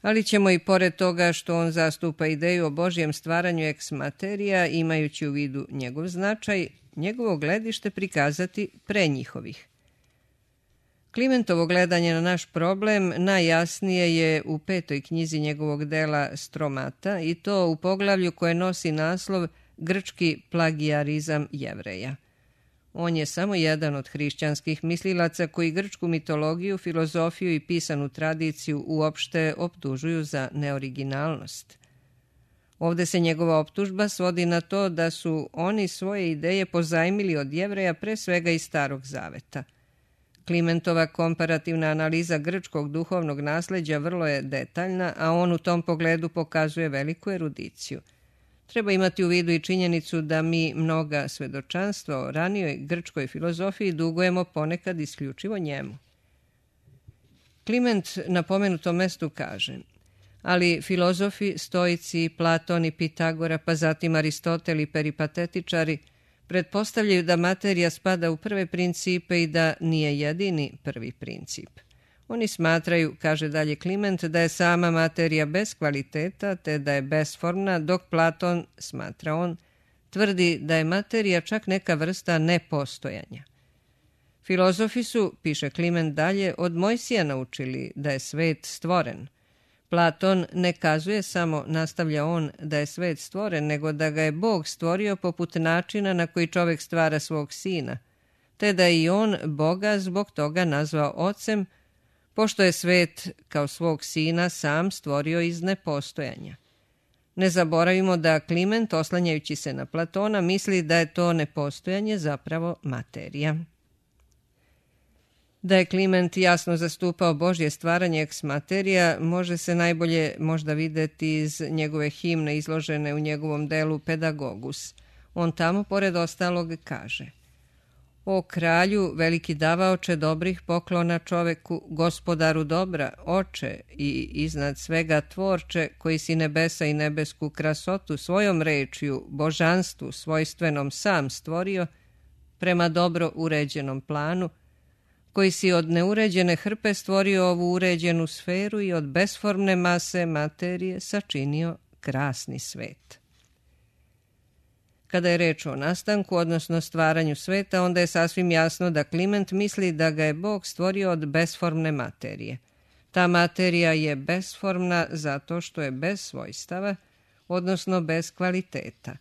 ali ćemo i pored toga što on zastupa ideju o Božjem stvaranju ex materia, imajući u vidu njegov značaj, njegovo gledište prikazati pre njihovih. Klimentovo gledanje na naš problem najjasnije je u 5. knjizi njegovog dela Stromata, i to u poglavlju koje nosi naslov Grčki plagijarizam Jevreja. On je samo jedan od hrišćanskih mislilaca koji grčku mitologiju, filozofiju i pisanu tradiciju uopšte optužuju za neoriginalnost. Ovde se njegova optužba svodi na to da su oni svoje ideje pozajmili od Jevreja, pre svega iz Starog zaveta. Klimentova komparativna analiza grčkog duhovnog nasleđa vrlo je detaljna, a on u tom pogledu pokazuje veliku erudiciju. Treba imati u vidu i činjenicu da mi mnoga svedočanstva o ranijoj grčkoj filozofiji dugujemo ponekad isključivo njemu. Kliment na pomenutom mestu kaže: ali filozofi, stoici, Platon i Pitagora, pa zatim Aristotel i peripatetičari pretpostavljaju da materija spada u prve principe i da nije jedini prvi princip. Oni smatraju, kaže dalje Kliment, da je sama materija bez kvaliteta, te da je besformna, dok Platon, smatra on, tvrdi da je materija čak neka vrsta nepostojanja. Filozofi su, piše Kliment dalje, od Mojsija naučili da je svet stvoren. Platon ne kazuje samo, nastavlja on, da je svet stvoren, nego da ga je Bog stvorio poput načina na koji čovek stvara svog sina, te da je i on Boga zbog toga nazvao ocem, pošto je svet kao svog sina sam stvorio iz nepostojanja. Ne zaboravimo da Kliment, oslanjajući se na Platona, misli da je to nepostojanje zapravo materija. Da je Kliment jasno zastupao Božje stvaranje ex materia, može se najbolje možda videti iz njegove himne izložene u njegovom delu Pedagogus. On tamo, pored ostalog, kaže: O kralju, veliki davaoče dobrih poklona čoveku, gospodaru dobra, oče i iznad svega tvorče, koji si nebesa i nebesku krasotu svojom rečju, božanstvu svojstvenom sam stvorio, prema dobro uređenom planu, koji si od neuređene hrpe stvorio ovu uređenu sferu i od besformne mase materije sačinio krasni svet. Kada je reč o nastanku, odnosno stvaranju sveta, onda je sasvim jasno da Kliment misli da ga je Bog stvorio od besformne materije. Ta materija je besformna zato što je bez svojstava, odnosno bez kvaliteta.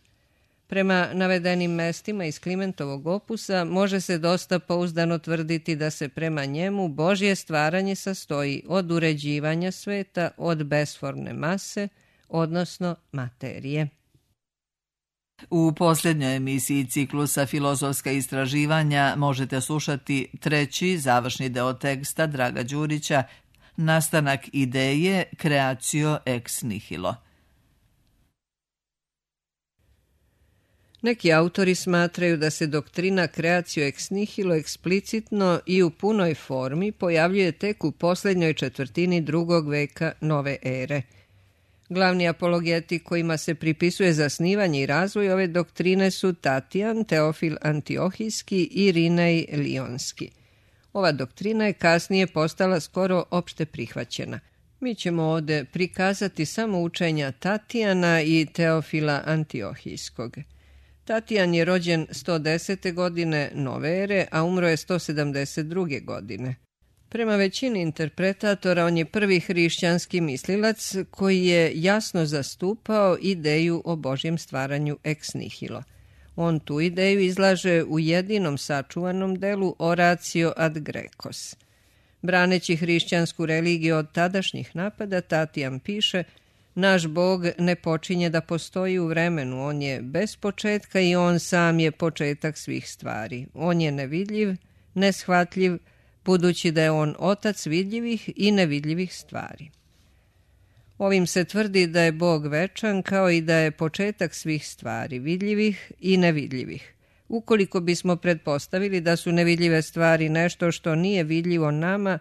Prema navedenim mestima iz Klimentovog opusa može se dosta pouzdano tvrditi da se prema njemu Božje stvaranje sastoji od uređivanja sveta, od besformne mase, odnosno materije. U posljednjoj emisiji ciklusa Filozofska istraživanja možete slušati treći završni deo teksta Draga Đurića, Nastanak ideje Creatio ex nihilo. Neki autori smatraju da se doktrina Creatio ex nihilo eksplicitno i u punoj formi pojavljuje tek u posljednjoj četvrtini drugog veka nove ere. Glavni apologeti kojima se pripisuje zasnivanje i razvoj ove doktrine su Tatijan, Teofil Antiohijski i Rinej Lionski. Ova doktrina je kasnije postala skoro opšte prihvaćena. Mi ćemo ovde prikazati samo učenja Tatijana i Teofila Antiohijskog. Tatijan je rođen 110. godine nove ere, a umro je 172. godine. Prema većini interpretatora, on je prvi hrišćanski mislilac koji je jasno zastupao ideju o Božjem stvaranju ex nihilo. On tu ideju izlaže u jedinom sačuvanom delu Oratio ad Grecos. Braneći hrišćansku religiju od tadašnjih napada, Tatijan piše: naš Bog ne počinje da postoji u vremenu, on je bez početka i on sam je početak svih stvari. On je nevidljiv, neshvatljiv, budući da je on otac vidljivih i nevidljivih stvari. Ovim se tvrdi da je Bog večan, kao i da je početak svih stvari, vidljivih i nevidljivih. Ukoliko bismo pretpostavili da su nevidljive stvari nešto što nije vidljivo nama,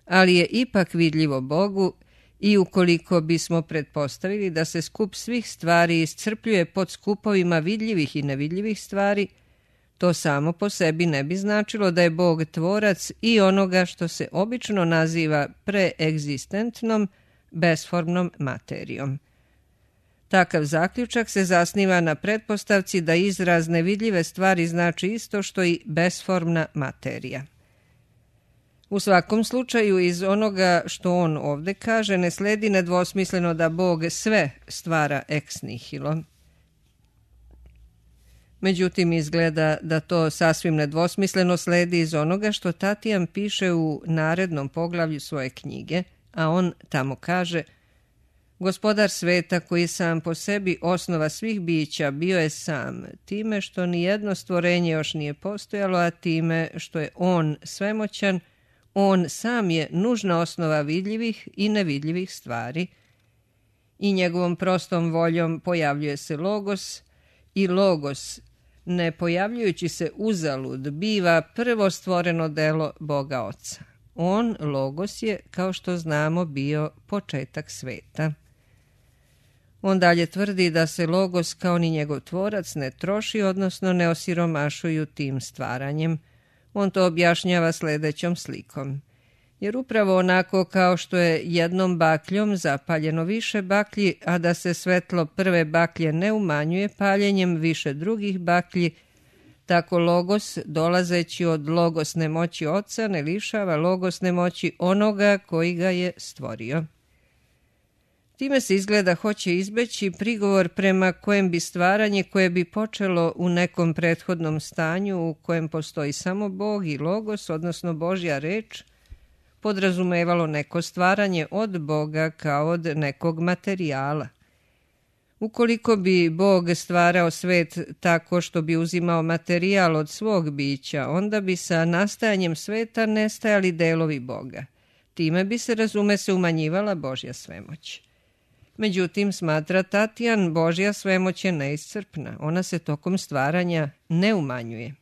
ali je ipak vidljivo Bogu, i ukoliko bismo pretpostavili da se skup svih stvari iscrpljuje pod skupovima vidljivih i nevidljivih stvari, to samo po sebi ne bi značilo da je Bog tvorac i onoga što se obično naziva preegzistentnom, besformnom materijom. Takav zaključak se zasniva na pretpostavci da izraz nevidljive stvari znači isto što i besformna materija. U svakom slučaju, iz onoga što on ovde kaže, ne sledi nedvosmisleno da Bog sve stvara ex nihilo. Međutim, izgleda da to sasvim nedvosmisleno sledi iz onoga što Tatijan piše u narednom poglavlju svoje knjige, a on tamo kaže: Gospodar sveta, koji sam po sebi osnova svih bića, bio je sam, time što nijedno stvorenje još nije postojalo, a time što je on svemoćan, on sam je nužna osnova vidljivih i nevidljivih stvari. I njegovom prostom voljom pojavljuje se Logos, i Logos, ne pojavljujući se uzalud, biva prvo stvoreno delo Boga Oca. On, Logos, je, kao što znamo, bio početak sveta. On dalje tvrdi da se Logos kao ni njegov tvorac ne troši, odnosno ne osiromašuju tim stvaranjem. On to objašnjava sljedećom slikom. Jer upravo onako kao što je jednom bakljom zapaljeno više baklji, a da se svetlo prve baklje ne umanjuje paljenjem više drugih baklji, tako Logos, dolazeći od logosne moći Oca, ne lišava logosne moći onoga koji ga je stvorio. Time se izgleda hoće izbeći prigovor prema kojem bi stvaranje koje bi počelo u nekom prethodnom stanju u kojem postoji samo Bog i Logos, odnosno Božja reč, podrazumevalo neko stvaranje od Boga kao od nekog materijala. Ukoliko bi Bog stvarao svet tako što bi uzimao materijal od svog bića, onda bi sa nastajanjem sveta nestajali delovi Boga. Time bi se, razume se, umanjivala Božja svemoć. Međutim, smatra Tatijan, Božja svemoć je neiscrpna. Ona se tokom stvaranja ne umanjuje.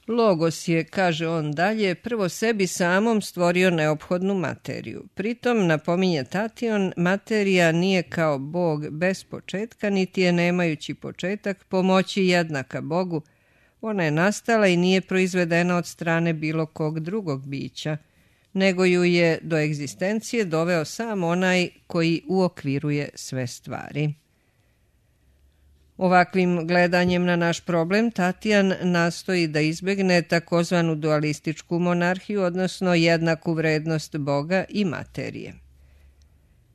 Logos je, kaže on dalje, prvo sebi samom stvorio neophodnu materiju. Pritom, napominje Tatijan, materija nije kao Bog bez početka, niti je nemajući početak po moći jednaka Bogu. Ona je nastala i nije proizvedena od strane bilo kog drugog bića, nego ju je do egzistencije doveo sam onaj koji uokviruje sve stvari. Ovakvim gledanjem na naš problem Tatijan nastoji da izbegne takozvanu dualističku monarhiju, odnosno jednaku vrednost Boga i materije.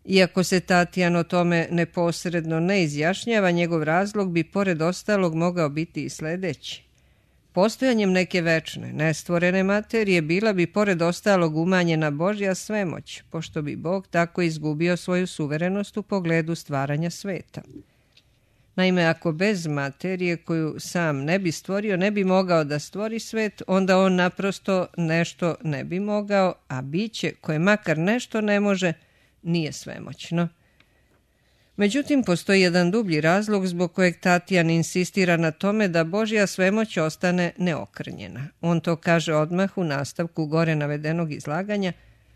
Iako se Tatijan o tome neposredno ne izjašnjava, njegov razlog bi pored ostalog mogao biti i sljedeći. Postojanjem neke večne, nestvorene materije bila bi pored ostalog umanjena Božja svemoć, pošto bi Bog tako izgubio svoju suverenost u pogledu stvaranja sveta. Naime, ako bez materije koju sam ne bi stvorio ne bi mogao da stvori svet, onda on naprosto nešto ne bi mogao, a biće koje makar nešto ne može, nije svemoćno. Međutim, postoji jedan dublji razlog zbog kojeg Tatijan insistira na tome da Božja svemoć ostane neokrnjena. On to kaže odmah u nastavku gore navedenog izlaganja,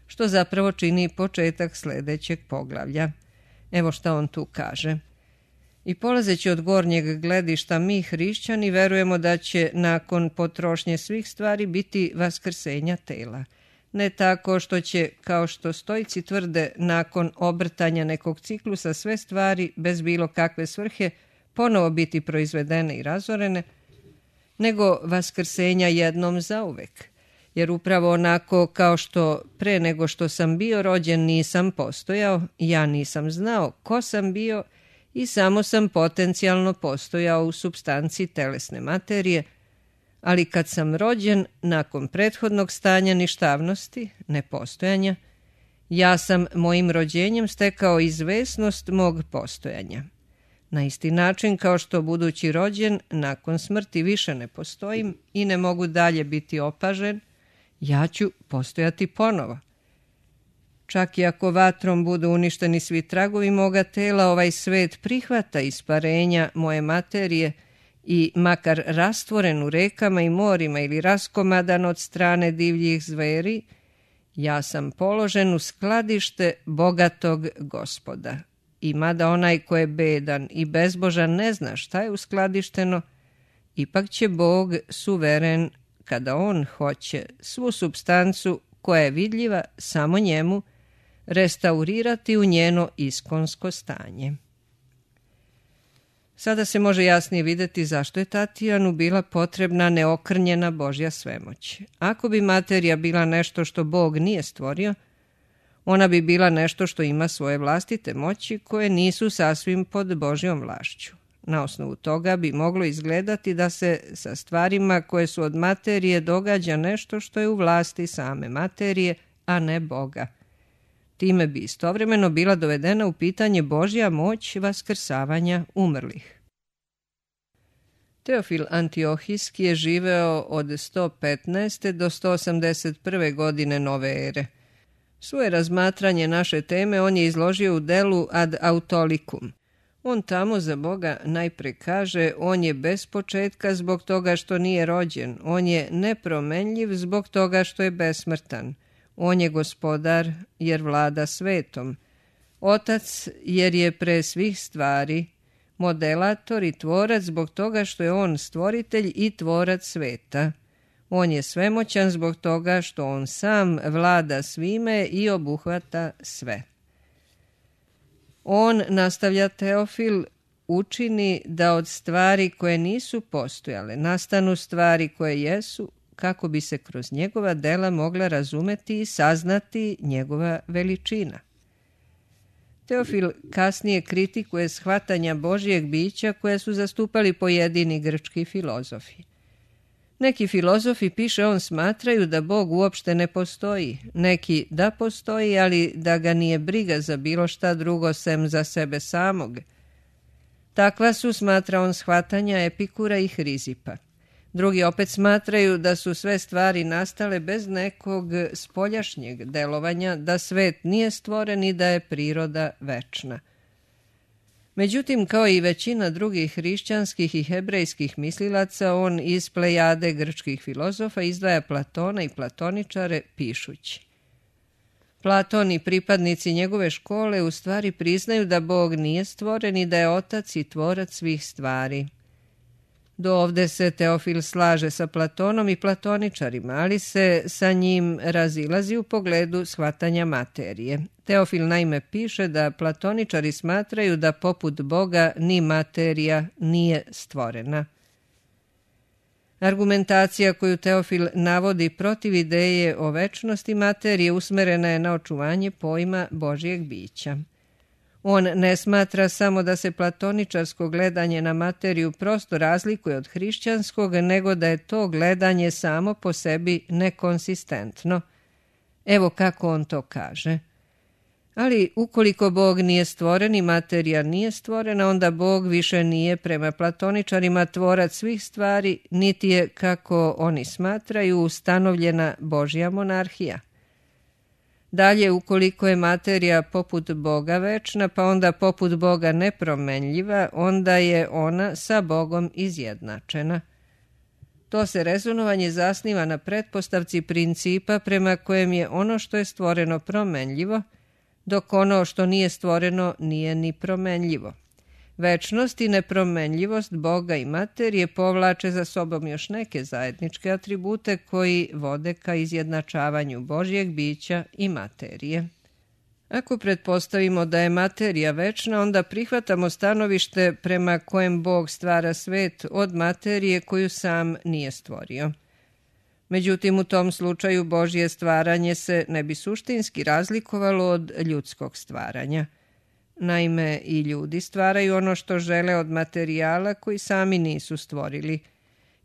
što zapravo čini početak sljedećeg poglavlja. Evo šta on tu kaže. I polazeći od gornjeg gledišta, mi hrišćani verujemo da će nakon potrošnje svih stvari biti vaskrsenja tela. ne tako što će, kao što stoici tvrde, nakon obrtanja nekog ciklusa sve stvari bez bilo kakve svrhe ponovo biti proizvedene i razorene, nego vaskrsenja jednom zauvek. Jer upravo onako kao što pre nego što sam bio rođen nisam postojao, ja nisam znao ko sam bio i samo sam potencijalno postojao u supstanci telesne materije, ali kad sam rođen, nakon prethodnog stanja ništavnosti, nepostojanja, ja sam mojim rođenjem stekao izvesnost mog postojanja. Na isti način kao što budući rođen, nakon smrti više ne postojim i ne mogu dalje biti opažen, ja ću postojati ponovo. Čak i ako vatrom budu uništeni svi tragovi moga tela, ovaj svet prihvata isparenja moje materije i makar rastvoren u rekama i morima ili raskomadan od strane divljih zveri, ja sam položen u skladište bogatog Gospoda. I mada onaj ko je bedan i bezbožan ne zna šta je uskladišteno, ipak će Bog suveren, kada on hoće, svu supstancu koja je vidljiva samo njemu, restaurirati u njeno iskonsko stanje. Sada se može jasnije vidjeti zašto je Tatijanu bila potrebna neokrnjena Božja svemoć. Ako bi materija bila nešto što Bog nije stvorio, ona bi bila nešto što ima svoje vlastite moći koje nisu sasvim pod Božjom vlašću. Na osnovu toga bi moglo izgledati da se sa stvarima koje su od materije događa nešto što je u vlasti same materije, a ne Boga. Time bi istovremeno bila dovedena u pitanje Božja moć vaskrsavanja umrlih. Teofil Antiohijski je živeo od 115. do 181. godine nove ere. Svoje razmatranje naše teme on je izložio u delu Ad Autolicum. On tamo za Boga najpre kaže, on je bez početka zbog toga što nije rođen, on je nepromenljiv zbog toga što je besmrtan, on je gospodar jer vlada svetom, otac jer je pre svih stvari, modelator i tvorac zbog toga što je on stvoritelj i tvorac sveta. On je svemoćan zbog toga što on sam vlada svime i obuhvata sve. On, nastavlja Teofil, učini da od stvari koje nisu postojale nastanu stvari koje jesu, kako bi se kroz njegova dela mogla razumeti i saznati njegova veličina. Teofil kasnije kritikuje shvatanja Božjeg bića koje su zastupali pojedini grčki filozofi. Neki filozofi, piše on, smatraju da Bog uopšte ne postoji, neki da postoji, ali da ga nije briga za bilo šta drugo sem za sebe samog. Takva su, smatra on, shvatanja Epikura i Hrizipa. Drugi opet smatraju da su sve stvari nastale bez nekog spoljašnjeg delovanja, da svet nije stvoren i da je priroda večna. Međutim, kao i većina drugih hrišćanskih i hebrejskih mislilaca, on iz plejade grčkih filozofa izdvaja Platona i platoničare pišući: Platon i pripadnici njegove škole u stvari priznaju da Bog nije stvoren i da je otac i tvorac svih stvari. Do ovde se Teofil slaže sa Platonom i platoničarima, ali se sa njim razilazi u pogledu shvatanja materije. Teofil naime piše da platoničari smatraju da poput Boga ni materija nije stvorena. Argumentacija koju Teofil navodi protiv ideje o večnosti materije usmerena je na očuvanje pojma Božjeg bića. On ne smatra samo da se platoničarsko gledanje na materiju prosto razlikuje od hrišćanskog, nego da je to gledanje samo po sebi nekonsistentno. Evo kako on to kaže. Ali ukoliko Bog nije stvoren i materija nije stvorena, onda Bog više nije prema platoničarima tvorac svih stvari, niti je, kako oni smatraju, ustanovljena Božja monarhija. Dalje, ukoliko je materija poput Boga večna, pa onda poput Boga nepromenljiva, onda je ona sa Bogom izjednačena. To se rezonovanje zasniva na pretpostavci principa prema kojem je ono što je stvoreno promenljivo, dok ono što nije stvoreno nije ni promenljivo. Večnost i nepromenljivost Boga i materije povlače za sobom još neke zajedničke atribute koji vode ka izjednačavanju Božjeg bića i materije. Ako pretpostavimo da je materija večna, onda prihvatamo stanovište prema kojem Bog stvara svet od materije koju sam nije stvorio. Međutim, u tom slučaju Božje stvaranje se ne bi suštinski razlikovalo od ljudskog stvaranja. Naime, i ljudi stvaraju ono što žele od materijala koji sami nisu stvorili.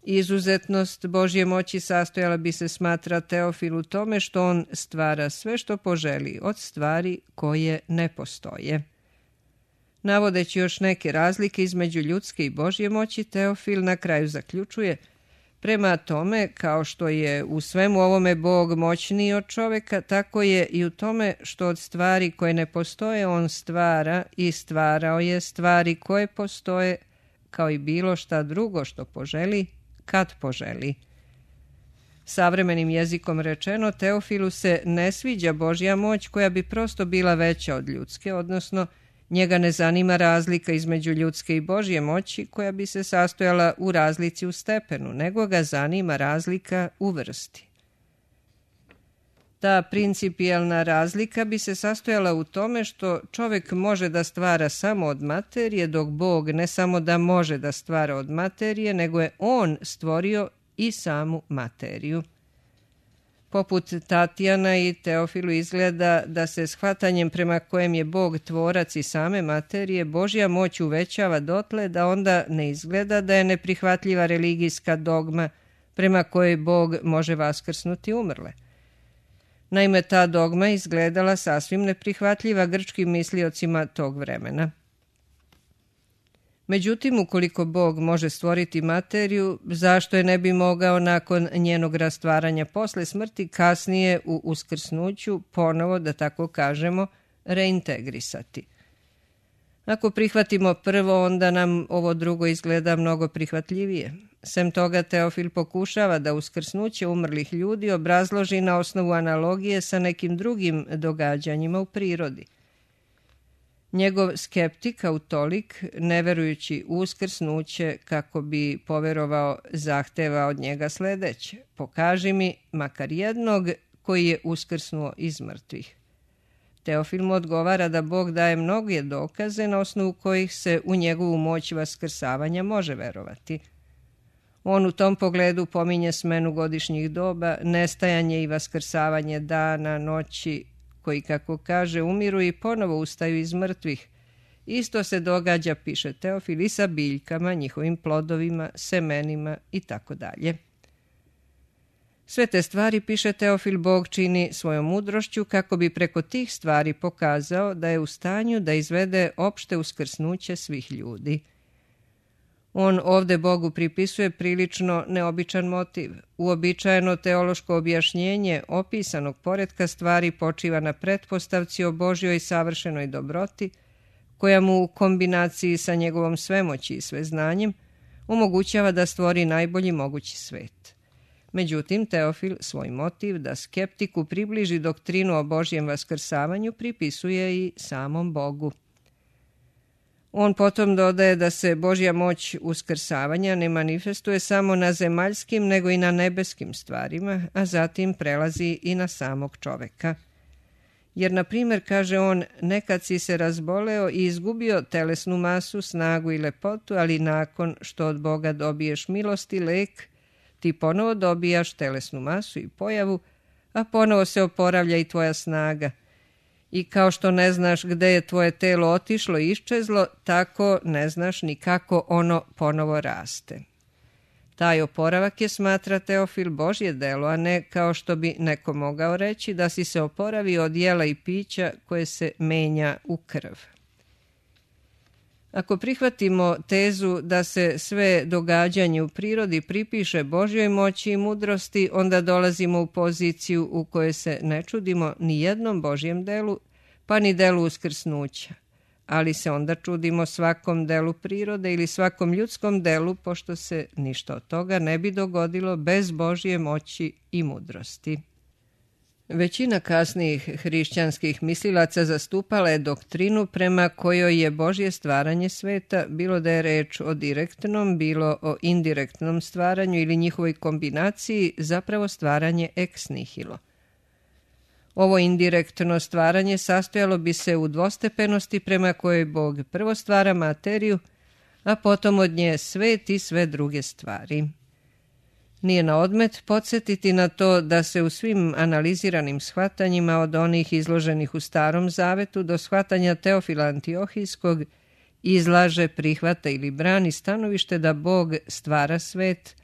Izuzetnost Božje moći sastojala bi se, smatra Teofil, u tome što on stvara sve što poželi od stvari koje ne postoje. Navodeći još neke razlike između ljudske i Božje moći, Teofil na kraju zaključuje: prema tome, kao što je u svemu ovome Bog moćniji od čoveka, tako je i u tome što od stvari koje ne postoje on stvara i stvarao je stvari koje postoje, kao i bilo šta drugo što poželi, kad poželi. Savremenim jezikom rečeno, Teofilu se ne sviđa Božja moć koja bi prosto bila veća od ljudske, odnosno njega ne zanima razlika između ljudske i Božje moći koja bi se sastojala u razlici u stepenu, nego ga zanima razlika u vrsti. Ta principijelna razlika bi se sastojala u tome što čovjek može da stvara samo od materije, dok Bog ne samo da može da stvara od materije, nego je on stvorio i samu materiju. Poput Tatjana i Teofilu izgleda da se shvatanjem prema kojem je Bog tvorac i same materije, Božja moć uvećava dotle da onda ne izgleda da je neprihvatljiva religijska dogma prema kojoj Bog može vaskrsnuti umrle. Naime, ta dogma izgledala sasvim neprihvatljiva grčkim misliocima tog vremena. Međutim, ukoliko Bog može stvoriti materiju, zašto je ne bi mogao nakon njenog rastvaranja posle smrti kasnije u uskrsnuću ponovo, da tako kažemo, reintegrisati? Ako prihvatimo prvo, onda nam ovo drugo izgleda mnogo prihvatljivije. Sem toga, Teofil pokušava da uskrsnuće umrlih ljudi obrazloži na osnovu analogije sa nekim drugim događanjima u prirodi. Njegov skeptik, autolik, ne verujući u uskrsnuće kako bi poverovao, zahteva od njega sledeće: pokaži mi makar jednog koji je uskrsnuo iz mrtvih. Teofil mu odgovara da Bog daje mnoge dokaze na osnovu kojih se u njegovu moć vaskrsavanja može verovati. On u tom pogledu pominje smenu godišnjih doba, nestajanje i vaskrsavanje dana, noći, koji, kako kaže, umiru i ponovo ustaju iz mrtvih. Isto se događa, piše Teofil, i sa biljkama, njihovim plodovima, semenima i tako dalje. Sve te stvari, piše Teofil, Bog čini svojom mudrošću kako bi preko tih stvari pokazao da je u stanju da izvede opšte uskrsnuće svih ljudi. On ovde Bogu pripisuje prilično neobičan motiv. Uobičajeno teološko objašnjenje opisanog poretka stvari počiva na pretpostavci o Božjoj savršenoj dobroti, koja mu u kombinaciji sa njegovom svemoći i sveznanjem omogućava da stvori najbolji mogući svet. Međutim, Teofil svoj motiv da skeptiku približi doktrinu o Božjem vaskrsavanju pripisuje i samom Bogu. On potom dodaje da se Božja moć uskrsavanja ne manifestuje samo na zemaljskim, nego i na nebeskim stvarima, a zatim prelazi i na samog čoveka. Jer, na primjer, kaže on, nekad si se razboleo i izgubio telesnu masu, snagu i lepotu, ali nakon što od Boga dobiješ milost i lek, ti ponovo dobijaš telesnu masu i pojavu, a ponovo se oporavlja i tvoja snaga. I kao što ne znaš gde je tvoje telo otišlo i iščezlo, tako ne znaš ni kako ono ponovo raste. Taj oporavak je, smatra Teofil, Božje delo, a ne kao što bi neko mogao reći da si se oporavio od jela i pića koje se menja u krv. Ako prihvatimo tezu da se sve događanje u prirodi pripiše Božjoj moći i mudrosti, onda dolazimo u poziciju u kojoj se ne čudimo ni jednom Božjem delu, pa ni delu uskrsnuća, ali se onda čudimo svakom delu prirode ili svakom ljudskom delu, pošto se ništa od toga ne bi dogodilo bez Božje moći i mudrosti. Većina kasnijih hrišćanskih mislilaca zastupala je doktrinu prema kojoj je Božje stvaranje sveta, bilo da je reč o direktnom, bilo o indirektnom stvaranju ili njihovoj kombinaciji, zapravo stvaranje ex nihilo. Ovo indirektno stvaranje sastojalo bi se u dvostepenosti prema kojoj Bog prvo stvara materiju, a potom od nje svet i sve druge stvari. Nije na odmet podsjetiti na to da se u svim analiziranim shvatanjima od onih izloženih u Starom Zavetu do shvatanja Teofila Antiohijskog izlaže, prihvata ili brani stanovište da Bog stvara svet,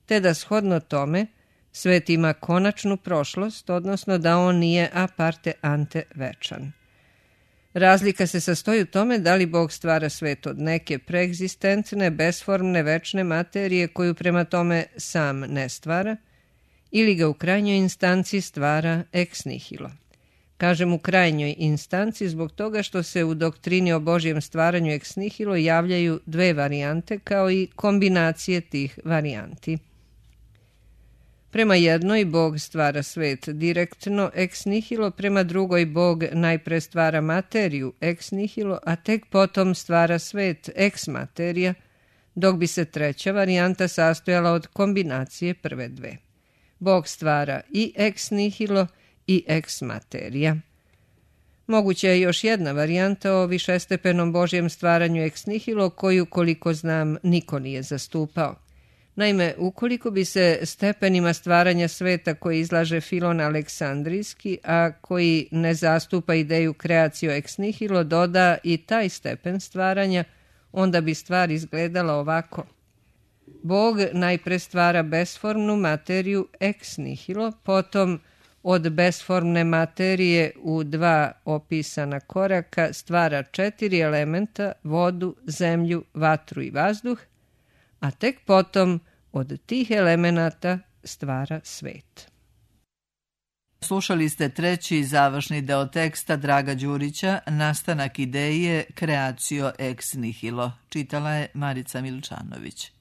te da shodno tome svet ima konačnu prošlost, odnosno da on nije a parte ante večan. Razlika se sastoji u tome da li Bog stvara svet od neke preegzistentne, besformne, večne materije koju prema tome sam ne stvara, ili ga u krajnjoj instanci stvara ex nihilo. Kažem u krajnjoj instanci zbog toga što se u doktrini o Božjem stvaranju ex nihilo javljaju dve varijante kao i kombinacije tih varijanti. Prema jednoj Bog stvara svet direktno ex nihilo, prema drugoj Bog najpre stvara materiju ex nihilo, a tek potom stvara svet ex materija, dok bi se treća varijanta sastojala od kombinacije prve dve. Bog stvara i ex nihilo i ex materija. Moguća je još jedna varijanta o višestepenom Božjem stvaranju ex nihilo koju, koliko znam, niko nije zastupao. Naime, ukoliko bi se stepenima stvaranja sveta koji izlaže Filon Aleksandrijski, a koji ne zastupa ideju kreacio ex nihilo, doda i taj stepen stvaranja, onda bi stvar izgledala ovako. Bog najpre stvara besformnu materiju ex nihilo, potom od besformne materije u dva opisana koraka stvara 4 elementa, vodu, zemlju, vatru i vazduh, a tek potom od tih elemenata stvara svet. Slušali ste treći završni deo teksta Draga Đurića, Nastanak ideje, kreacio ex nihilo. Čitala je Marica Milčanović.